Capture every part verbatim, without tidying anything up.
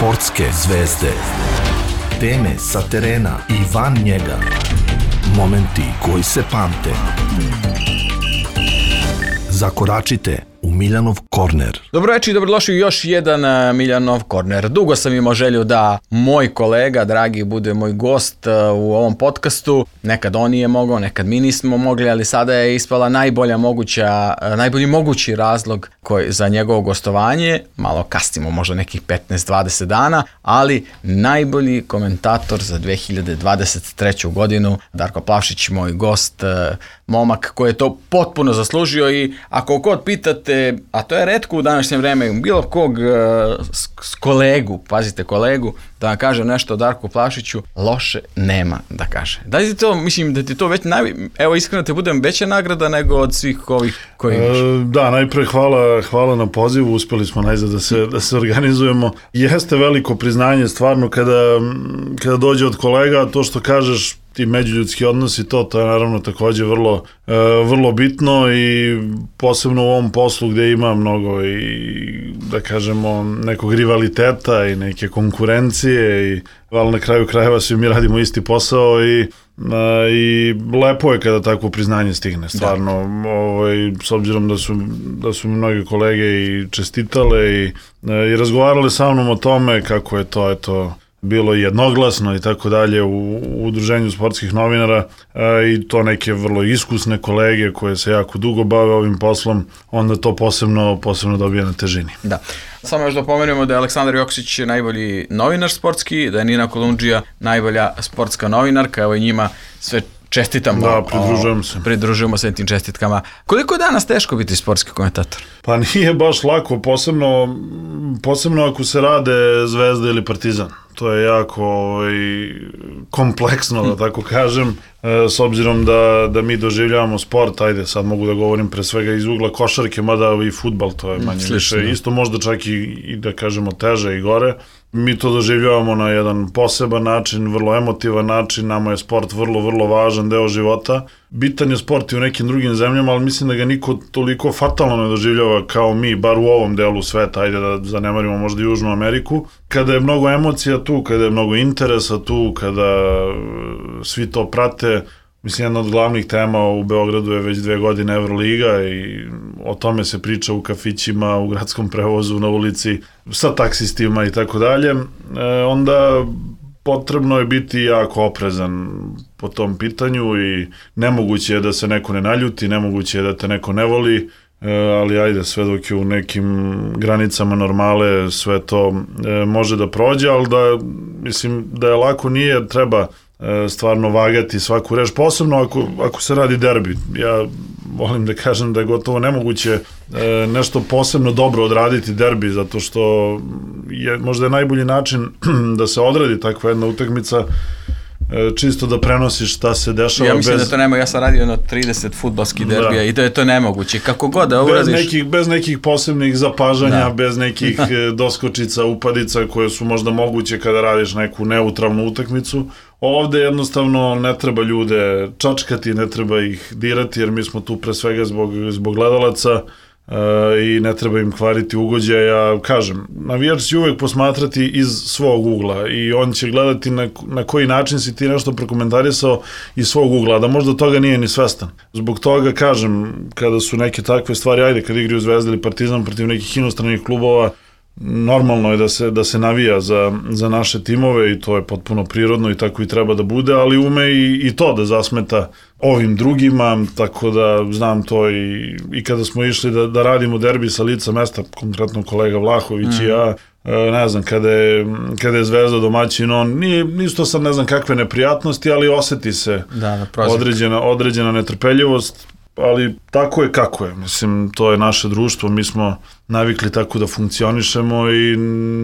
Sportske zvezde. Teme sa terena i van njega. Momenti koji se pamte. Zakoračite u Miljanov korner. Dobro večer i dobrodošli u još jedan Miljanov korner. Dugo sam imao želju da moj kolega, dragi, bude moj gost u ovom podcastu. Nekad on nije mogao, nekad mi nismo mogli, ali sada je ispala najbolja moguća, najbolji mogući razlog koji za njegovo gostovanje. Malo kasnimo, možda nekih petnaest do dvadeset dana, ali najbolji komentator za dve hiljade dvadeset treću godinu, Darko Plavšić, moj gost, momak koji je to potpuno zaslužio. I ako god pitate, a to je retko u današnje vreme, bilo kog uh, s kolegu, pazite kolegu, da vam kaže nešto o Darku Plavšiću, loše nema da kaže. Da li ti to, mislim da ti to već, naj... evo iskreno te budem veća nagrada nego od svih ovih koji imaš. E, da, najpre hvala, hvala na pozivu, uspjeli smo najzad da se, da se organizujemo. Jeste veliko priznanje stvarno kada, kada dođe od kolega, to što kažeš, ti međuljudski odnosi, to, to je naravno također vrlo, e, vrlo bitno i posebno u ovom poslu gdje ima mnogo i da kažemo nekog rivaliteta i neke konkurencije, i, ali na kraju krajeva svi mi radimo isti posao i, a, i lepo je kada takvo priznanje stigne stvarno, ovaj, s obzirom da su, da su mi mnoge kolege i čestitale i, i razgovarale sa mnom o tome kako je to, eto, bilo jednoglasno i tako dalje u, u udruženju sportskih novinara, a, i to neke vrlo iskusne kolege koje se jako dugo bave ovim poslom, onda to posebno, posebno dobije na težini. Da. Samo još da pomenemo da je Aleksandar Joksić najbolji novinar sportski, da je Nina Kolundžija najbolja sportska novinarka, evo i njima sve čestitamo. Da, pridružujemo se. Pridružujemo se tim čestitkama. Koliko je danas teško biti sportski komentator? Pa nije baš lako, posebno, posebno ako se rade Zvezda ili Partizan. To je jako ovaj, kompleksno, da tako kažem, e, s obzirom da, da mi doživljavamo sport, ajde, sad mogu da govorim pre svega iz ugla košarke, mada i fudbal, to je manje Slično, više, isto možda čak i, i da kažemo teže i gore. Mi to doživljavamo na jedan poseban način, vrlo emotivan način, nama je sport vrlo, vrlo važan deo života. Bitan je sport i u nekim drugim zemljama, ali mislim da ga niko toliko fatalno ne doživljava kao mi, bar u ovom delu sveta, ajde da zanemarimo možda i Južnu Ameriku. Kada je mnogo emocija tu, kada je mnogo interesa tu, kada svi to prate, mislim, jedna od glavnih tema u Beogradu je već dve godine Evroliga i o tome se priča u kafićima, u gradskom prevozu, na ulici, sa taksistima i tako dalje. Onda potrebno je biti jako oprezan po tom pitanju i nemoguće je da se neko ne naljuti, nemoguće je da te neko ne voli, ali ajde, sve dok je u nekim granicama normale, sve to može da prođe, ali da, mislim, da je lako nije, treba stvarno vagati svaku reč, posebno ako, ako se radi derbi. Ja volim da kažem da je gotovo nemoguće e, nešto posebno dobro odraditi derbi, zato što je možda je najbolji način da se odradi takva jedna utakmica, e, čisto da prenosiš šta se dešava. Ja mislim bez... da to nema, ja sam radio jedno trideset fudbalskih derbija, da. I da je to nemoguće, kako god da uradiš. Bez nekih, bez nekih posebnih zapažanja, da. Bez nekih doskočica, upadica koje su možda moguće kada radiš neku neutralnu utakmicu. Ovde jednostavno ne treba ljude čačkati, ne treba ih dirati, jer mi smo tu pre svega zbog, zbog gledalaca e, i ne treba im kvariti ugođaj. Ja kažem, navijač će uvek posmatrati iz svog ugla i on će gledati na, na koji način si ti nešto prokomentarisao iz svog ugla, da možda toga nije ni svestan. Zbog toga kažem, kada su neke takve stvari, ajde, kad igraju Zvezda ili Partizan protiv nekih inostranih klubova, normalno je da se, da se navija za, za naše timove i to je potpuno prirodno i tako i treba da bude, ali ume i, i to da zasmeta ovim drugima, tako da znam to i, i kada smo išli da, da radimo derbi sa lica mesta, konkretno kolega Vlahović mm. i ja, ne znam, kada je, kada je Zvezda domaćin, on, nije, nisu to sad ne znam kakve neprijatnosti, ali oseti se da, određena, određena netrpeljivost, ali tako je kako je, mislim, to je naše društvo, mi smo navikli tako da funkcionišemo i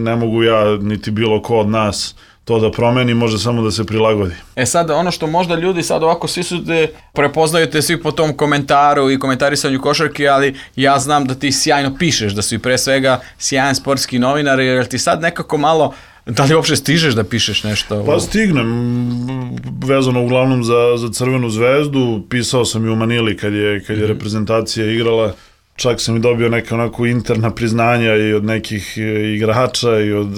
ne mogu ja, niti bilo ko od nas to da promeni, može samo da se prilagodi. E sad, ono što možda ljudi sad ovako svi su te, prepoznaju te svi po tom komentaru i komentarisanju košarke, ali ja znam da ti sjajno pišeš, da si pre svega sjajan sportski novinar, jer ti sad nekako malo, da li uopšte stižeš da pišeš nešto? Pa stignem, vezano uglavnom za, za Crvenu zvezdu, pisao sam i u Manili kad je, kad je reprezentacija igrala, čak sam i dobio neka onako interna priznanja i od nekih igrača i od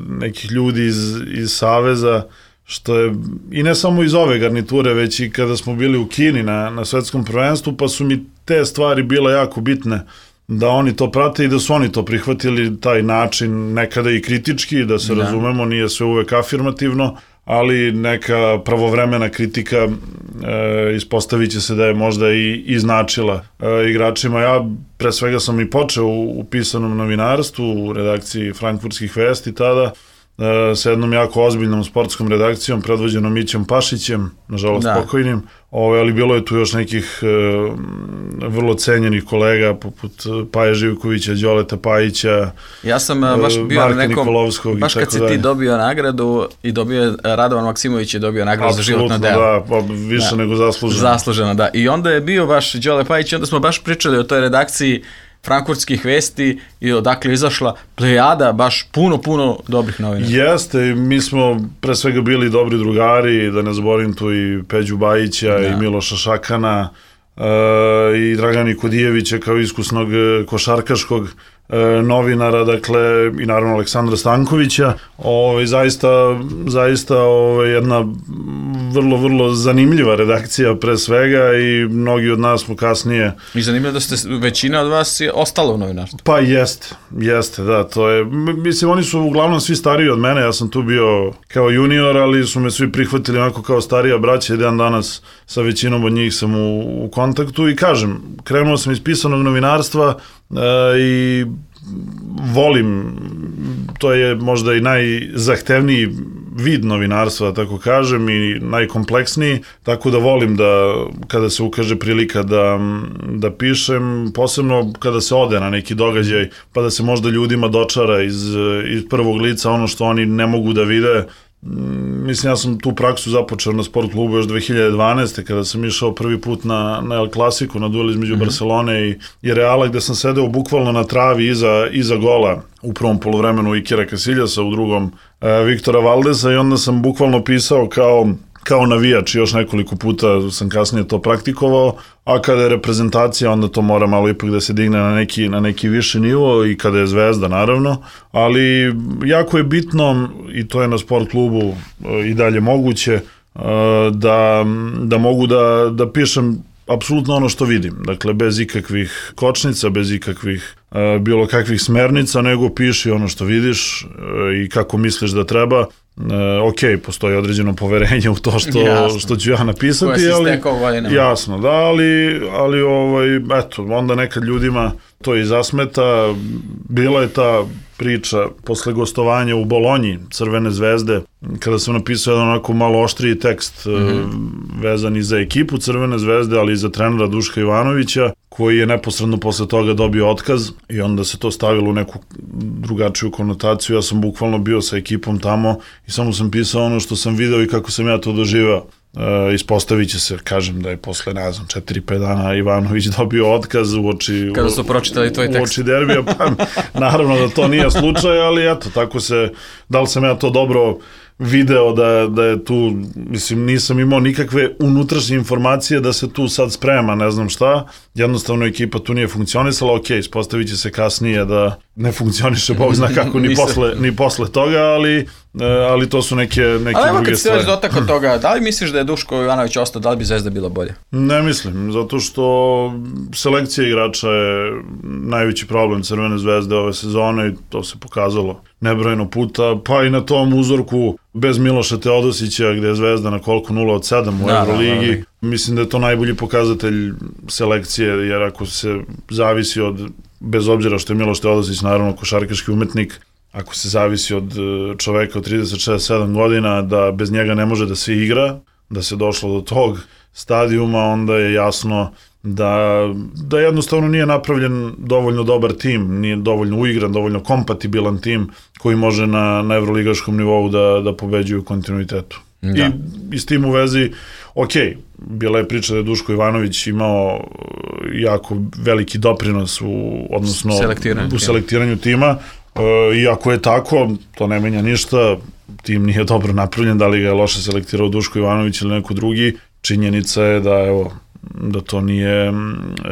nekih ljudi iz, iz Saveza, što je, i ne samo iz ove garniture, već i kada smo bili u Kini na, na svetskom prvenstvu, pa su mi te stvari bile jako bitne, da oni to prate i da su oni to prihvatili, taj način, nekada i kritički, da se da. razumemo, nije sve uvek afirmativno, ali neka pravovremena kritika e, ispostavit će se da je možda i, i značila e, igračima. Ja pre svega sam i počeo u, u pisanom novinarstvu, u redakciji Frankfurtskih vesti tada, e, sa jednom jako ozbiljnom sportskom redakcijom, predvođenom Mićom Pašićem, nažalost da. pokojnim, Ove, ali bilo je tu još nekih e, vrlo cenjenih kolega, poput Paje Živkovića, Đoleta Pajića, ja sam e, baš bio Marka nekom, Nikolovskog. Baš kad si ti dobio nagradu i dobio, Radovan Maksimović je dobio nagradu za životno delo. Da, pa više da. nego zasluženo. Zasluženo, da. I onda je bio baš Đole Pajić i onda smo baš pričali o toj redakciji Frankfurtskih vesti i odakle je izašla plejada baš puno, puno dobrih novina. Jeste, mi smo pre svega bili dobri drugari, da ne zaboravim tu i Peđu Bajića da. i Miloša Šakana uh, i Dragana Kodijevića kao iskusnog košarkaškog uh, novinara, dakle i naravno Aleksandra Stankovića. Ove, zaista, zaista ove, jedna vrlo, vrlo zanimljiva redakcija pre svega i mnogi od nas smo kasnije... I zanimljivo da ste, većina od vas je ostala u novinarstvu. Pa jeste, jeste, da, to je... Mislim, oni su uglavnom svi stariji od mene, ja sam tu bio kao junior, ali su me svi prihvatili onako kao starija braća i dan danas sa većinom od njih sam u, u kontaktu i kažem, krenuo sam iz pisanog novinarstva e, i volim, to je možda i najzahtevniji vid novinarstva, tako kažem, i najkompleksniji, tako da volim da kada se ukaže prilika da, da pišem, posebno kada se ode na neki događaj, pa da se možda ljudima dočara iz, iz prvog lica ono što oni ne mogu da vide. Mislim, ja sam tu praksu započeo na sport klubu još dve hiljade dvanaeste. kada sam išao prvi put na, na El Clasico, na duel između mm-hmm. Barcelone i, i Reala, gde sam sedeo bukvalno na travi iza, iza gola u prvom poluvremenu Ikera Casiljasa, u drugom e, Viktora Valdesa, i onda sam bukvalno pisao kao kao navijač, još nekoliko puta sam kasnije to praktikovao, a kada je reprezentacija, onda to mora malo ipak da se digne na neki, na neki viši nivo, i kada je Zvezda, naravno, ali jako je bitno, i to je na sport klubu i dalje moguće, da, da mogu da, da pišem apsolutno ono što vidim, dakle bez ikakvih kočnica, bez ikakvih e, bilo kakvih smernica, nego piši ono što vidiš e, i kako misliš da treba. E, ok, postoji određeno poverenje u to što, što ću ja napisati, ali jasno, da, ali, ali ovaj, eto, onda nekad ljudima to i zasmeta. Bila je ta priča posle gostovanja u Bolonji Crvene zvezde, kada sam napisao jedan onako malo oštriji tekst mm-hmm. vezan i za ekipu Crvene zvezde, ali i za trenera Duška Ivanovića, koji je neposredno posle toga dobio otkaz, i onda se to stavilo u neku drugačiju konotaciju. Ja sam bukvalno bio sa ekipom tamo i samo sam pisao ono što sam video i kako sam ja to doživao. E, ispostavit će se, kažem, da je posle, ne znam, četiri pet dana Ivanović dobio otkaz u oči, kada su pročitali tvoj tekst. U oči derbija, pa naravno da to nije slučaj, ali eto, tako se, da li sam ja to dobro video da, da je tu, mislim, nisam imao nikakve unutrašnje informacije da se tu sad sprema, ne znam šta, jednostavno ekipa tu nije funkcionisala, ok, ispostavit će se kasnije da ne funkcioniše, Bog zna kako, ni, posle, ni posle toga, ali, ali to su neke, neke ali druge stvari. Ali evo kad se već dotakao toga, da li misliš da je Duško Ivanović ostao, da li bi Zvezda bila bolje? Ne mislim, zato što selekcija igrača je najveći problem Crvene zvezde ove sezone i to se pokazalo nebrojeno puta, pa i na tom uzorku bez Miloša Teodosića, gde je Zvezda na koliko nula od sedam u da, Euroligi. Da, da, da. Mislim da je to najbolji pokazatelj selekcije, jer ako se zavisi od, bez obzira što je Miloš Teodosić naravno košarkaški umetnik, ako se zavisi od čoveka od trideset šest sedam godina, da bez njega ne može da se igra, da se došlo do tog stadijuma, onda je jasno da, da jednostavno nije napravljen dovoljno dobar tim, nije dovoljno uigran, dovoljno kompatibilan tim koji može na, na evroligaškom nivou da, da pobeđuje u kontinuitetu. Da. I, I s tim u vezi, ok, bila je priča da je Duško Ivanović imao jako veliki doprinos u, odnosno selektiranju u selektiranju tima, e, i ako je tako, to ne menja ništa, tim nije dobro napravljen, da li ga je loše selektirao Duško Ivanović ili neko drugi. Činjenica je da, evo, da to nije,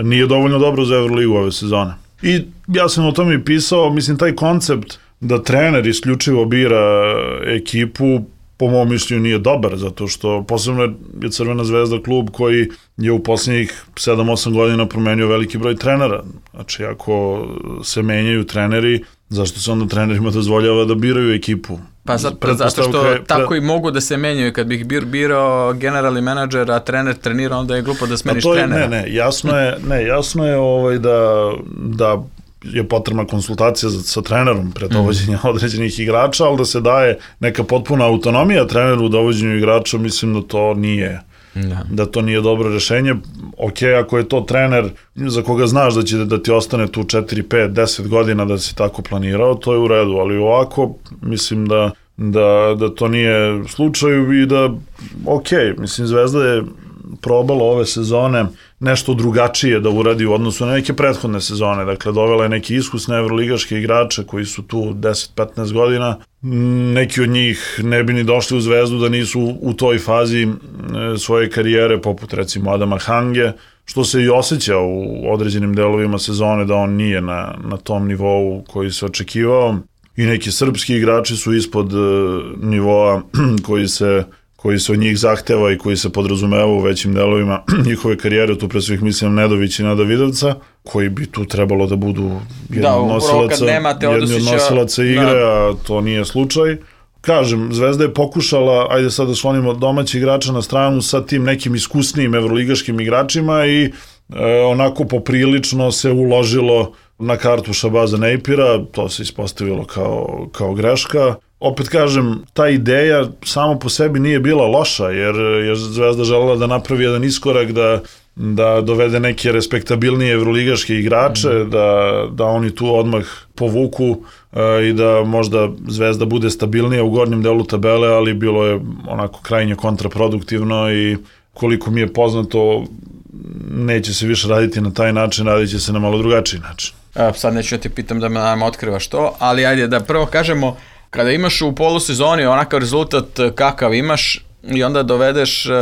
nije dovoljno dobro za Euroligu ove sezone. I ja sam o tome i pisao, mislim, taj koncept da trener isključivo bira ekipu, po mom mišljenju nije dobar, zato što posebno je Crvena zvezda klub koji je u posljednjih sedam osam godina promenio veliki broj trenera. Znači, ako se menjaju treneri, zašto se onda trenerima dozvoljava da biraju ekipu? Pa zato, zato što pre, pre... tako i mogu da se menjaju. Kad bih bir, birao generalni menadžer, a trener trenira, onda je glupo da smeniš je, trenera. Ne, ne, jasno je, ne, jasno je ovaj da, da je potrebna konsultacija sa, sa trenerom pre dovođenja mm. određenih igrača, ali da se daje neka potpuna autonomija treneru u dovođenju igrača, mislim da to nije da. da to nije dobro rešenje. Ok, ako je to trener za koga znaš da će da ti ostane tu četiri, pet, deset godina da si tako planirao, to je u redu, ali ovako mislim da, da, da to nije slučaj i da, ok, mislim Zvezda je probala ove sezone nešto drugačije da uradi u odnosu na neke prethodne sezone, dakle dovela je neke iskusne evroligaške igrače koji su tu deset do petnaest godina, neki od njih ne bi ni došli u Zvezdu da nisu u toj fazi svoje karijere, poput recimo Adama Hange, što se i osjeća u određenim delovima sezone da on nije na, na tom nivou koji se očekivao, i neki srpski igrači su ispod nivoa koji se koji se od njih zahteva i koji se podrazumeva u većim delovima njihove karijere, tu pre svih mislim Nedović i Nada Vidovca, koji bi tu trebalo da budu jedni da, od nosilaca, jedni od nosilaca igre, da. A to nije slučaj. Kažem, Zvezda je pokušala, ajde sad da slonimo domaći igrača na stranu sa tim nekim iskusnijim evroligaškim igračima i e, onako poprilično se uložilo na kartu Šabaza Nejpira, to se ispostavilo kao, kao greška. Opet kažem, ta ideja samo po sebi nije bila loša, jer je Zvezda želela da napravi jedan iskorak, da, da dovede neke respektabilnije evroligaške igrače, mm. da, da oni tu odmah povuku e, i da možda Zvezda bude stabilnija u gornjem delu tabele, ali bilo je onako krajnje kontraproduktivno i koliko mi je poznato, neće se više raditi na taj način, radit će se na malo drugačiji način. E, sad neću da ti pitam da me nam otkrivaš to, ali ajde da prvo kažemo, kada imaš u polusezoni onakav rezultat kakav imaš i onda dovedeš uh,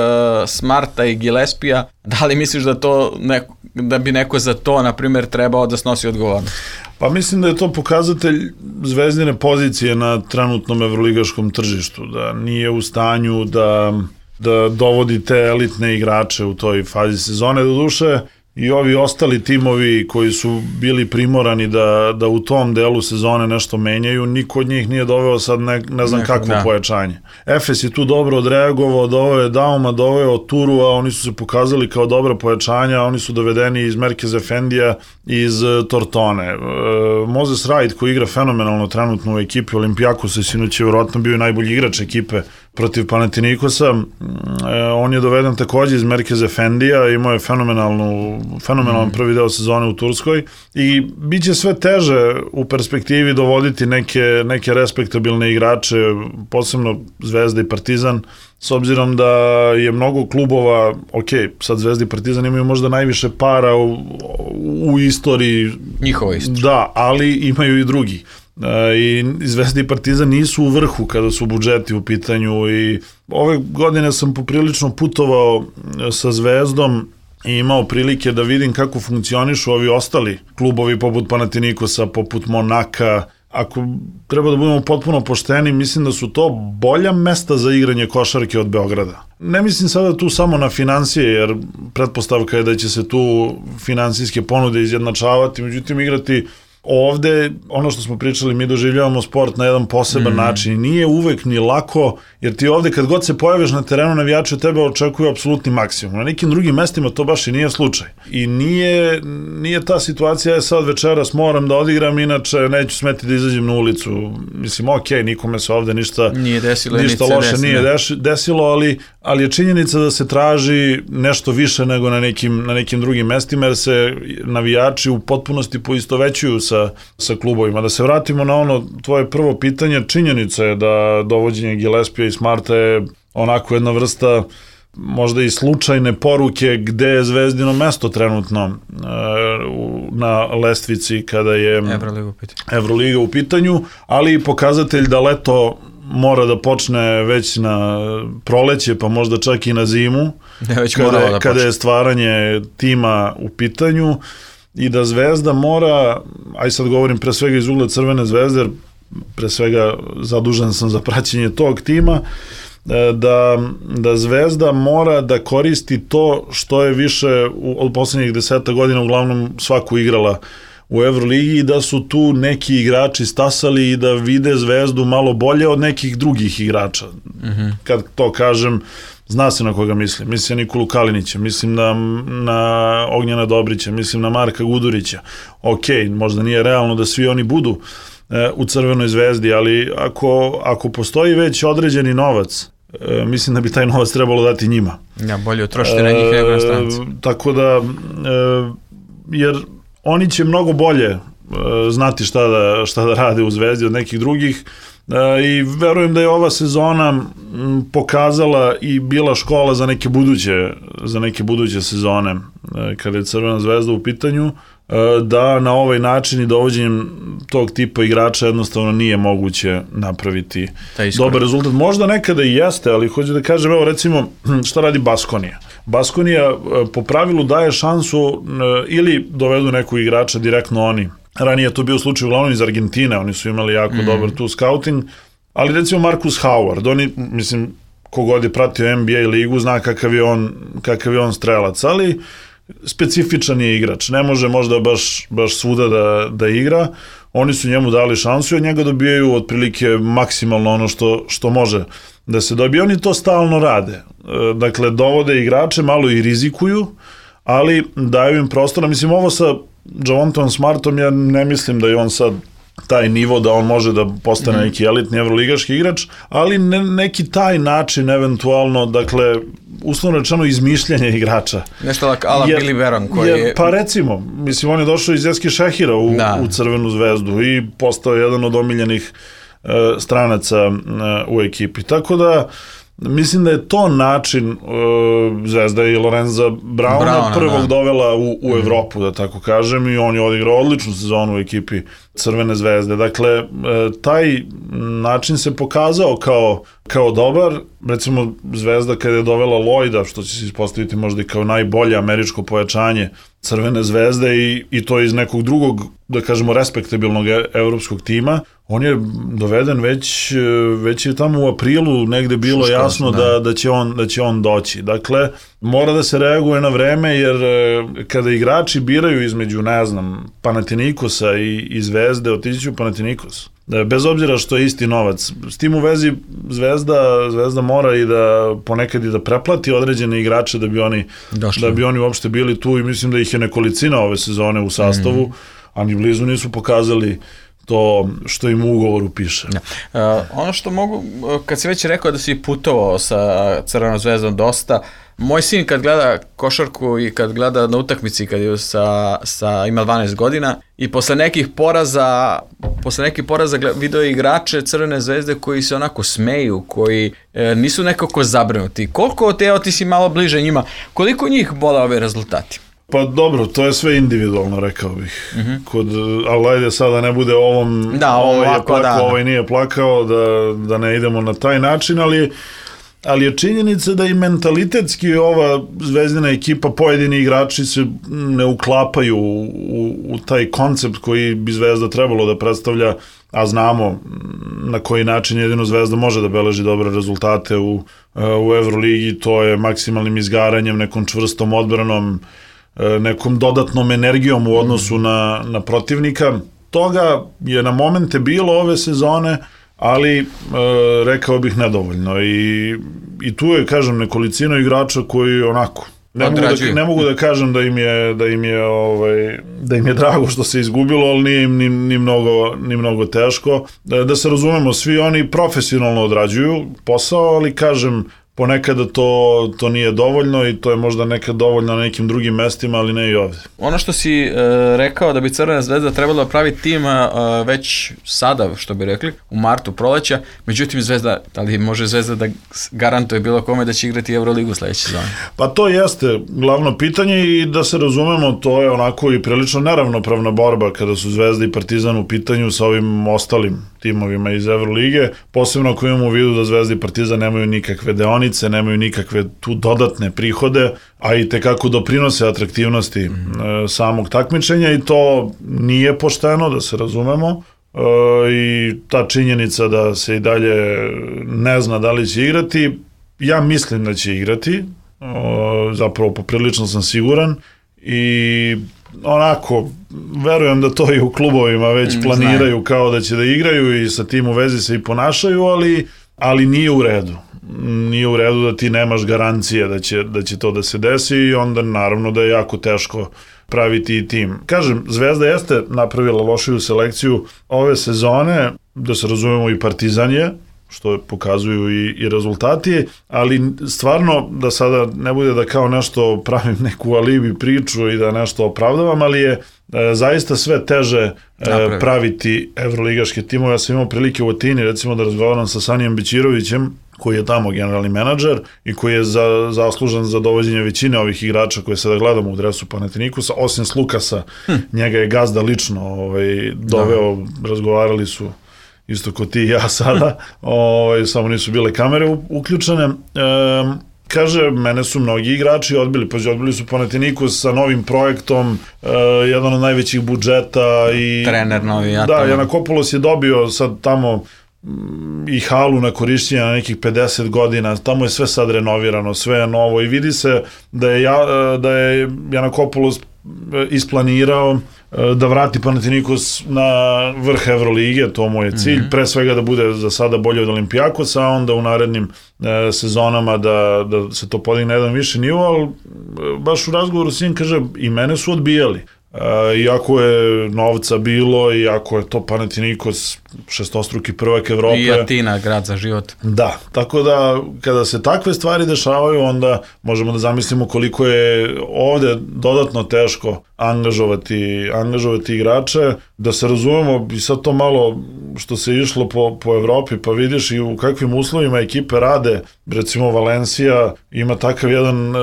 Smarta i Gillespija, da li misliš da to neko, da bi neko za to, na primjer, trebao da snosi odgovornost? Pa mislim da je to pokazatelj Zvezdine pozicije na trenutnom evroligaškom tržištu, da nije u stanju da, da dovodi te elitne igrače u toj fazi sezone. Doduše, i ovi ostali timovi koji su bili primorani da, da u tom delu sezone nešto menjaju, niko od njih nije doveo sad ne, ne znam kakvo da. pojačanje. Efes je tu dobro odreagovao, doveo je Dauma, doveo je Turua, oni su se pokazali kao dobra pojačanja, oni su dovedeni iz Merkez Efendija i iz Tortone. E, Moses Wright, koji igra fenomenalno trenutno u ekipi Olimpijakosa, sinoć je vjerojatno bio najbolji igrač ekipe protiv Panathinaikosa, e, on je doveden također iz Merkez Efendija, imao je fenomenalnu, fenomenalan prvi deo sezone u Turskoj i bit će sve teže u perspektivi dovoditi neke, neke respektabilne igrače, posebno Zvezda i Partizan, s obzirom da je mnogo klubova, ok, sad Zvezda i Partizan imaju možda najviše para u, u istoriji. Njihova istorija. Da, ali imaju i drugi. I Zvezda i Partizan nisu u vrhu kada su budžeti u pitanju i ove godine sam poprilično putovao sa Zvezdom i imao prilike da vidim kako funkcionišu ovi ostali klubovi poput Panathinaikosa, poput Monaka. Ako treba da budemo potpuno pošteni, mislim da su to bolja mesta za igranje košarke od Beograda. Ne mislim sada tu samo na financije, jer pretpostavka je da će se tu finansijske ponude izjednačavati, međutim igrati ovde, ono što smo pričali, mi doživljavamo sport na jedan poseban mm. način. Nije uvek ni lako, jer ti ovde kad god se pojaviš na terenu, navijači od tebe očekuju apsolutni maksimum. Na nekim drugim mestima to baš i nije slučaj. I nije, nije ta situacija, je sad večeras moram da odigram, inače neću smeti da izađem na ulicu. Mislim, ok, nikome se ovde ništa, nije desilo, ništa loše desilo. nije deš, desilo, ali, ali je činjenica da se traži nešto više nego na nekim, na nekim drugim mestima, jer se navijači u potpunosti poistovećuju sa Sa, sa klubovima. Da se vratimo na ono tvoje prvo pitanje, činjenica je da dovođenje Gillespija i Smarta je onako jedna vrsta možda i slučajne poruke gde je Zvezdino mesto trenutno e, na lestvici kada je Evroliga u pitanju. Evroliga u pitanju, ali i pokazatelj da leto mora da počne već na proleće, pa možda čak i na zimu, ja već kada, da kada je stvaranje tima u pitanju, i da Zvezda mora, aj sad govorim pre svega iz ugla Crvene Zvezde, jer pre svega zadužen sam za praćenje tog tima, da, da Zvezda mora da koristi to što je više u, od poslednjih deseta godina uglavnom svaku igrala u Evroligi, i da su tu neki igrači stasali i da vide Zvezdu malo bolje od nekih drugih igrača. Mm-hmm. Kad to kažem, zna se na koga mislim. Mislim na Nikolu Kalinića, mislim na, na Ognjena Dobrića, mislim na Marka Gudurića. Ok, možda nije realno da svi oni budu e, u Crvenoj Zvezdi, ali ako, ako postoji već određeni novac, e, mislim da bi taj novac trebalo dati njima. Ja, bolje utrošiti na njih nego na stranci. E, tako da, e, jer oni će mnogo bolje e, znati šta da, šta da rade u Zvezdi od nekih drugih, e, i verujem da je ova sezona m, pokazala i bila škola za neke buduće, za neke buduće sezone, e, kada je Crvena Zvezda u pitanju, e, da na ovaj način i dovođenjem tog tipa igrača jednostavno nije moguće napraviti dobar rezultat. Možda nekada i jeste, ali hoću da kažem, evo recimo šta radi Baskonija. Baskonija po pravilu daje šansu ili dovedu nekog igrača direktno oni. Ranije je to bio slučaj uglavnom iz Argentine, oni su imali jako mm. dobar tu scouting, ali recimo Marcus Howard, oni, mislim, kogod je pratio N B A ligu zna kakav je on, kakav je on strelac, ali specifičan je igrač, ne može možda baš, baš svuda da, da igra. Oni su njemu dali šansu i od njega dobijaju otprilike maksimalno ono što, što može da se dobije. Oni to stalno rade. Dakle, dovode igrače, malo i rizikuju, ali daju im prostora. Mislim, ovo sa Javontom Smartom, ja ne mislim da je on sad taj nivo da on može da postane mm. neki elitni evroligaški igrač, ali ne, neki taj način eventualno, dakle, uslovno rečeno izmišljanje igrača. Nešto like ala Billy Baron koji jer, je... Pa recimo, mislim, on je došao iz Eski Šehira u, u Crvenu Zvezdu i postao jedan od omiljenih uh, stranaca uh, u ekipi. Tako da, mislim da je to način, uh, Zvezda i Lorenza Brauna, Brauna prvog da. dovela u, u Evropu, da tako kažem, i on je odigrao odličnu sezonu u ekipi Crvene Zvezde. Dakle, uh, taj način se pokazao kao, kao dobar. Recimo, Zvezda kada je dovela Lloyda, što će se ispostaviti možda i kao najbolje američko pojačanje Crvene Zvezde, i, i to iz nekog drugog, da kažemo, respektabilnog evropskog tima, on je doveden već, već je tamo u aprilu negde bilo Šuško, jasno da, da, će on, da će on doći. Dakle, mora da se reaguje na vreme, jer kada igrači biraju između, ne znam, Panathinaikosa i, i Zvezde, otići ću Panathinaikos. Bez obzira što je isti novac. S tim u vezi Zvezda, Zvezda mora i da ponekad i da preplati određene igrače da bi oni, da bi oni uopšte bili tu, i mislim da ih je nekolicina ove sezone u sastavu, mm. a ni blizu nisu pokazali to što im u ugovoru piše. Ja. Uh, ono što mogu, kad si već rekao da si putovao sa Crvenom Zvezdom dosta, moj sin kad gleda košarku i kad gleda na utakmici kad je sa, sa, ima dvanaest godina, i posle nekih poraza posle nekih poraza video igrače Crvene Zvezde koji se onako smeju, koji e, nisu nekako zabrinuti. Koliko te, evo ti si malo bliže njima, koliko njih bole ove rezultati? Pa dobro, to je sve individualno, rekao bih. Mm-hmm. Kod, ali ajde sada ne bude ovom, da, ovaj je ovako, plakao, da. ovaj nije plakao, da, da ne idemo na taj način, ali ali je činjenica da i mentalitetski ova Zvezdina ekipa, pojedini igrači se ne uklapaju u, u, u taj koncept koji bi Zvezda trebalo da predstavlja, a znamo na koji način jedino Zvezda može da beleži dobre rezultate u, u Evroligi, to je maksimalnim izgaranjem, nekom čvrstom odbranom, nekom dodatnom energijom u odnosu na, na protivnika. Toga je na momente bilo ove sezone, ali e, rekao bih nedovoljno, i, i tu je, kažem, nekolicino igrača koji onako ne mogu, da, ne mogu da kažem da im je da im je ovaj da im je drago što se izgubilo, ali nije im ni, ni mnogo ni mnogo teško. Da, da se razumemo, svi oni profesionalno odrađuju posao, ali kažem, ponekada to, to nije dovoljno i to je možda nekad dovoljno na nekim drugim mestima, ali ne i ovde. Ono što si uh, rekao da bi Crvena zvezda trebala pravi tim uh, već sada, što bi rekli, u martu proleća, međutim Zvezda, da li može Zvezda da garantuje bilo kome da će igrati Euroligu sledeće sezone? Pa to jeste glavno pitanje i da se razumemo, to je onako i prilično neravnopravna borba kada su Zvezda i Partizan u pitanju sa ovim ostalim timovima iz Evrolige, posebno ako imamo u vidu da Zvezda i Partizan nemaju nikakve deonice, nemaju nikakve tu dodatne prihode, a i tekako doprinose atraktivnosti mm. e, samog takmičenja i to nije pošteno, da se razumemo. E, i ta činjenica da se i dalje ne zna da li će igrati, ja mislim da će igrati, e, zapravo poprilično sam siguran i onako, verujem da to i u klubovima već planiraju Znaju. kao da će da igraju i sa tim u vezi se i ponašaju, ali, ali nije u redu. Nije u redu da ti nemaš garancije da će, da će to da se desi i onda naravno da je jako teško praviti i tim. Kažem, Zvezda jeste napravila lošiju selekciju ove sezone, da se razumemo i Partizan je, što pokazuju i, i rezultati, ali stvarno da sada ne bude da kao nešto pravim neku alibi priču i da nešto opravdavam, ali je e, zaista sve teže e, praviti evroligaške timove. Ja sam imao prilike u Atini recimo da razgovaram sa Sanijem Bećirovićem, koji je tamo generalni menadžer i koji je za, zaslužan za dovođenje većine ovih igrača koje sada gledamo u dresu Panathinaikosa, osim Slukasa, hm. njega je gazda lično ovaj, doveo, da. razgovarali su isto ko ti i ja sada, ovaj, samo nisu bile kamere uključene. E, kaže, mene su mnogi igrači odbili, pa odbili su Panathinaikos sa novim projektom, e, jedan od najvećih budžeta i... Trener novi, ja Da, Janakopoulos je dobio sad tamo i halu na korišćenje na nekih pedeset godina, tamo je sve sad renovirano, sve je novo i vidi se da je, ja, da je Janakopoulos isplanirao da vrati Panathinaikos na vrh Evrolige, to mu je cilj, mm-hmm. pre svega da bude za sada bolje od Olimpijakosa, a onda u narednim e, sezonama da, da se to podigne na jedan više nivo, ali baš u razgovoru s njim kaže, i mene su odbijali. E, iako je novca bilo, iako je to Panathinaikos šestostruki prvak Evrope. I Atina, grad za život. Da, tako da kada se takve stvari dešavaju, onda možemo da zamislimo koliko je ovde dodatno teško angažovati, angažovati igrače, da se razumemo i sad to malo što se išlo po, po Evropi, pa vidiš i u kakvim uslovima ekipe rade, recimo Valencija ima takav jedan e,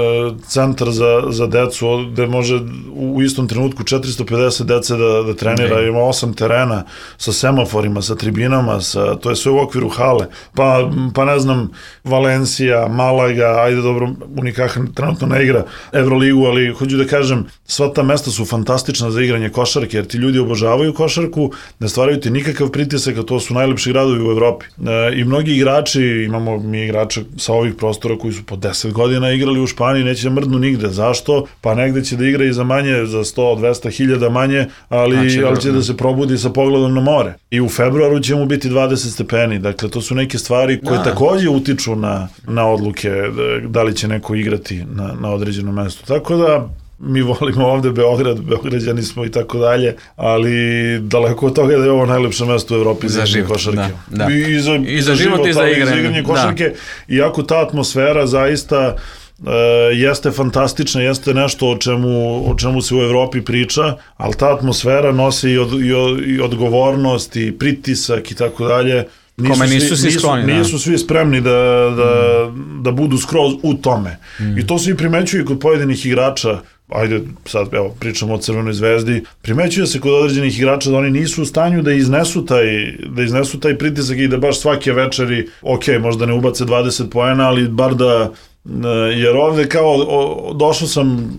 centar za, za decu, gde može u istom trenutku četiristo pedeset dece da, da trenira, okay. Ima osam terena sa semaforima, sa tribinama, sa, to je sve u okviru hale, pa, pa ne znam, Valencija, Malaga, ajde dobro, Unikaha trenutno ne igra Evroligu, ali hoću da kažem, sva ta mesta su fantastična za igranje košarke, jer ti ljudi obožavaju košarku, ne stvaraju ti nikakav pritisak, a to su najlepši gradovi u Evropi. E, I mnogi igrači, imamo mi igrače sa ovih prostora koji su po deset godina igrali u Španiji, neće da mrdnu nigde. Zašto? Pa negde će da igra i za manje, za sto do dvesta hiljada manje, ali, znači, ali će da se probudi sa pogledom na more. I u februaru će mu biti dvadeset stepeni, dakle to su neke stvari koje da. takođe utiču na, na odluke da, da li će neko igrati na, na određenom mestu. Tako da mi volimo ovde Beograd, Beograđani smo i tako dalje, ali daleko od toga da je ovo najlepše mesto u Evropi za, za život, košarke. Da, da. I za, I za život, život i za igranje, za igranje košarke. Da. Iako ta atmosfera zaista uh, jeste fantastična, jeste nešto o čemu, o čemu se u Evropi priča, ali ta atmosfera nosi i, od, i, od, i odgovornost i pritisak i tako dalje. Nisu Kome nisu svi, skloni, nisu, nisu svi spremni da, da, mm. da budu skroz u tome. Mm. I to svi primećuju kod pojedinih igrača. Ajde, sad evo, pričamo o Crvenoj zvezdi, primećuje se kod određenih igrača da oni nisu u stanju da iznesu taj, da iznesu taj pritisak i da baš svake večeri, ok, možda ne ubace dvadeset poena, ali bar da, jer ovde kao o, došao sam,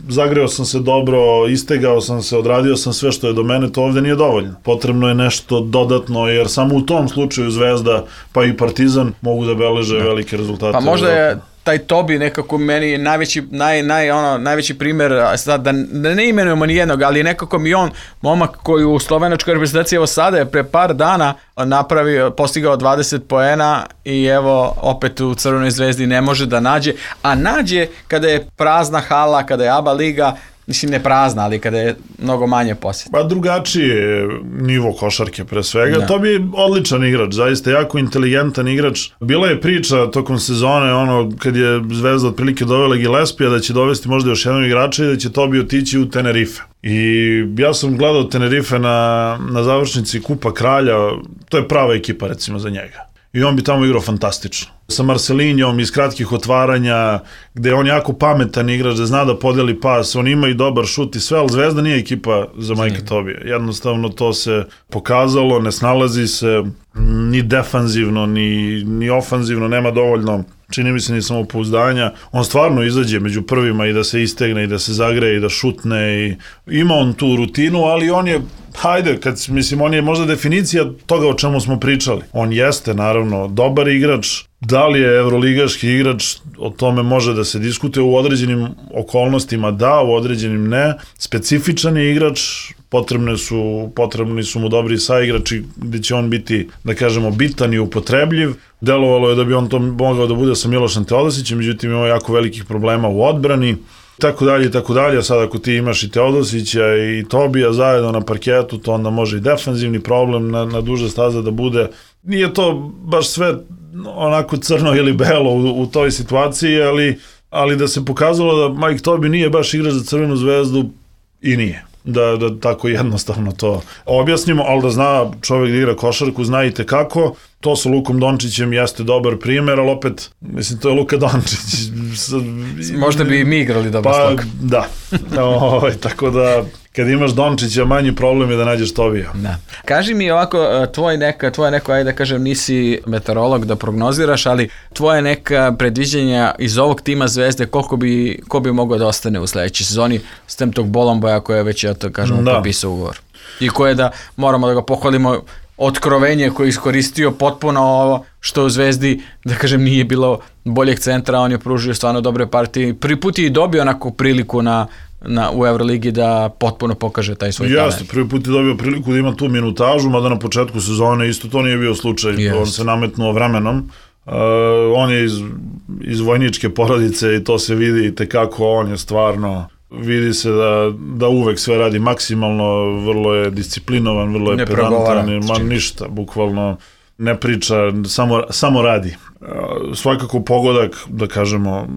zagreo sam se dobro, istegao sam se, odradio sam sve što je do mene, to ovde nije dovoljno. Potrebno je nešto dodatno, jer samo u tom slučaju Zvezda, pa i Partizan mogu da beleže da. velike rezultate. Pa možda je taj Tobi nekako meni najveći, naj, naj, ono, najveći primer, sad da, da ne imenujemo ni jednog, ali nekako mi on, momak koji u slovenačkoj reprezentaciji evo sada je pre par dana napravio, postigao dvadeset poena i evo opet u Crvenoj zvezdi ne može da nađe, a nađe kada je prazna hala, kada je A B A liga, mislim ne prazna, ali kada je mnogo manje posjeta. Pa drugačiji je nivo košarke pre svega. Da. To bi odličan igrač, zaista jako inteligentan igrač. Bila je priča tokom sezone, ono, kad je Zvezda otprilike dovela Gillespija, da će dovesti možda još jednog igrača i da će Tobi otići u Tenerife. I ja sam gledao Tenerife na, na završnici Kupa Kralja, to je prava ekipa recimo za njega. I on bi tamo igrao fantastično. Sa Marcelinjom iz kratkih otvaranja, gde je on jako pametan igrač, da zna da podeli pas, on ima i dobar šut i sve, ali Zvezda nije ekipa za Majka Tobija. Jednostavno to se pokazalo, ne snalazi se ni defanzivno, ni, ni ofanzivno, nema dovoljno, čini mi se, ni samopouzdanja. On stvarno izađe među prvima i da se istegne i da se zagreje i da šutne i ima on tu rutinu, ali on je, hajde, kad, mislim, on je možda definicija toga o čemu smo pričali. On jeste, naravno, dobar igrač. Da li je evroligaški igrač, o tome može da se diskutuje u određenim okolnostima, da, u određenim ne. Specifičan je igrač, potrebne su, potrebni su mu dobri saigrači gde će on biti, da kažemo, bitan i upotrebljiv. Delovalo je da bi on to mogao da bude sa Milošem Teodosićem, međutim ima jako velikih problema u odbrani, tako dalje i tako dalje. A sad ako ti imaš i Teodosića i Tobija zajedno na parketu, to onda može i defanzivni problem na, na duže staze da bude. Nije to baš sve onako crno ili belo u, u toj situaciji, ali, ali da se pokazalo da Mike Tobi nije baš igrač za Crvenu Zvezdu i nije. Da, da tako jednostavno to objasnimo, ali da zna čovjek da igra košarku, zna i tekako. To sa Lukom Dončićem jeste dobar primjer, ali opet, mislim, to je Luka Dončić. Možda bi i mi igrali dobar pa, stok. Da, o, tako da kad imaš Dončića, manji problem je da nađeš Tobija. Da. Kaži mi ovako, tvoj neka, tvoje neko, ajde da kažem, nisi meteorolog da prognoziraš, ali tvoje neka predviđenja iz ovog tima Zvezde, koliko bi, ko bi mogao da ostane u sledećoj sezoni s tem tog Bolomboja koje je već, ja to kažem, da. Potpisao ugovor. I koje da, moramo da ga pohvalimo, otkrovenje koje je iskoristio potpuno ovo što u Zvezdi, da kažem, nije bilo boljeg centra, on je pružio stvarno dobre partije. Prvi put je i dobio onako priliku na, na, u Euroligi da potpuno pokaže taj svoj talent. Jeste, prvi put je dobio priliku da ima tu minutažu, mada na početku sezone isto to nije bio slučaj. Jeste. On se nametnuo vremenom. Uh, on je iz, iz vojničke porodice i to se vidi i tekako, on je stvarno... Vidi se da, da uvek sve radi maksimalno, vrlo je disciplinovan, vrlo je ne pedantan, ma ništa, bukvalno ne priča, samo, samo radi. Svakako pogodak, da kažemo,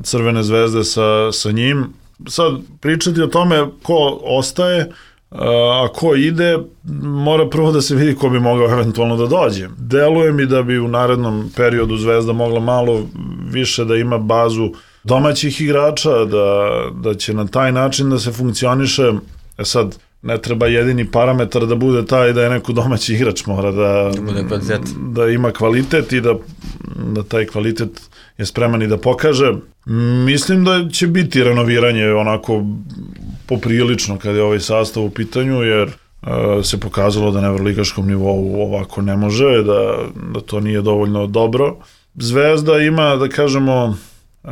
Crvene Zvezde sa, sa njim. Sad, pričati o tome ko ostaje, a ko ide, mora prvo da se vidi ko bi mogao eventualno da dođe. Deluje mi da bi u narednom periodu Zvezda mogla malo više da ima bazu domaćih igrača, da, da će na taj način da se funkcioniše. E sad, ne treba jedini parametar da bude taj da je neko domaći igrač, mora da, da, da ima kvalitet i da, da taj kvalitet je spreman i da pokaže. Mislim da će biti renoviranje onako poprilično kada je ovaj sastav u pitanju, jer uh, se pokazalo da na evroligaškom nivou ovako ne može, da, da to nije dovoljno dobro. Zvezda ima, da kažemo, Uh,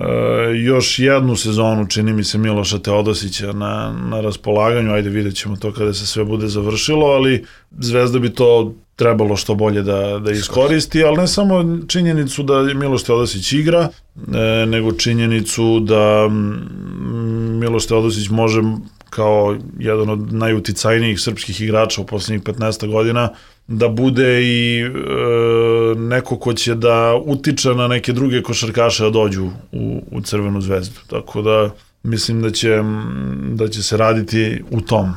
još jednu sezonu, čini mi se, Miloša Teodosića na, na raspolaganju, ajde vidjet ćemo to kada se sve bude završilo, ali Zvezda bi to trebalo što bolje da, da iskoristi, ali ne samo činjenicu da Miloš Teodosić igra, e, nego činjenicu da Miloš Teodosić može kao jedan od najuticajnijih srpskih igrača u posljednjih petnaest godina da bude i e, neko ko će da utiče na neke druge košarkaše da dođu u, u Crvenu Zvezdu. Tako da mislim da će, da će se raditi u tom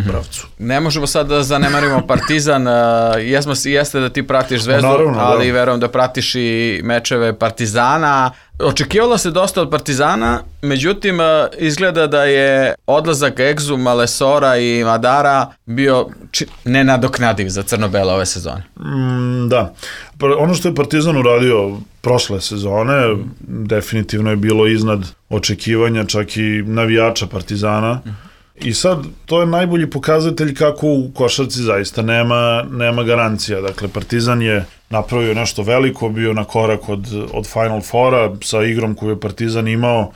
pravcu. Ne možemo sad da zanemarimo Partizan, jesmo, jeste da ti pratiš Zvezdu, naravno, ali da. Verujem da pratiš i mečeve Partizana. Očekivalo se dosta od Partizana, međutim izgleda da je odlazak Egzuma, Lesora i Madara bio či, nenadoknadiv za crno-bele ove sezone. Mm, da. Ono što je Partizan uradio prošle sezone mm. definitivno je bilo iznad očekivanja čak i navijača Partizana. Mm. I sad, to je najbolji pokazatelj kako u košarci zaista nema, nema garancija. Dakle, Partizan je napravio nešto veliko, bio na korak od, od Final Fora sa igrom koju je Partizan imao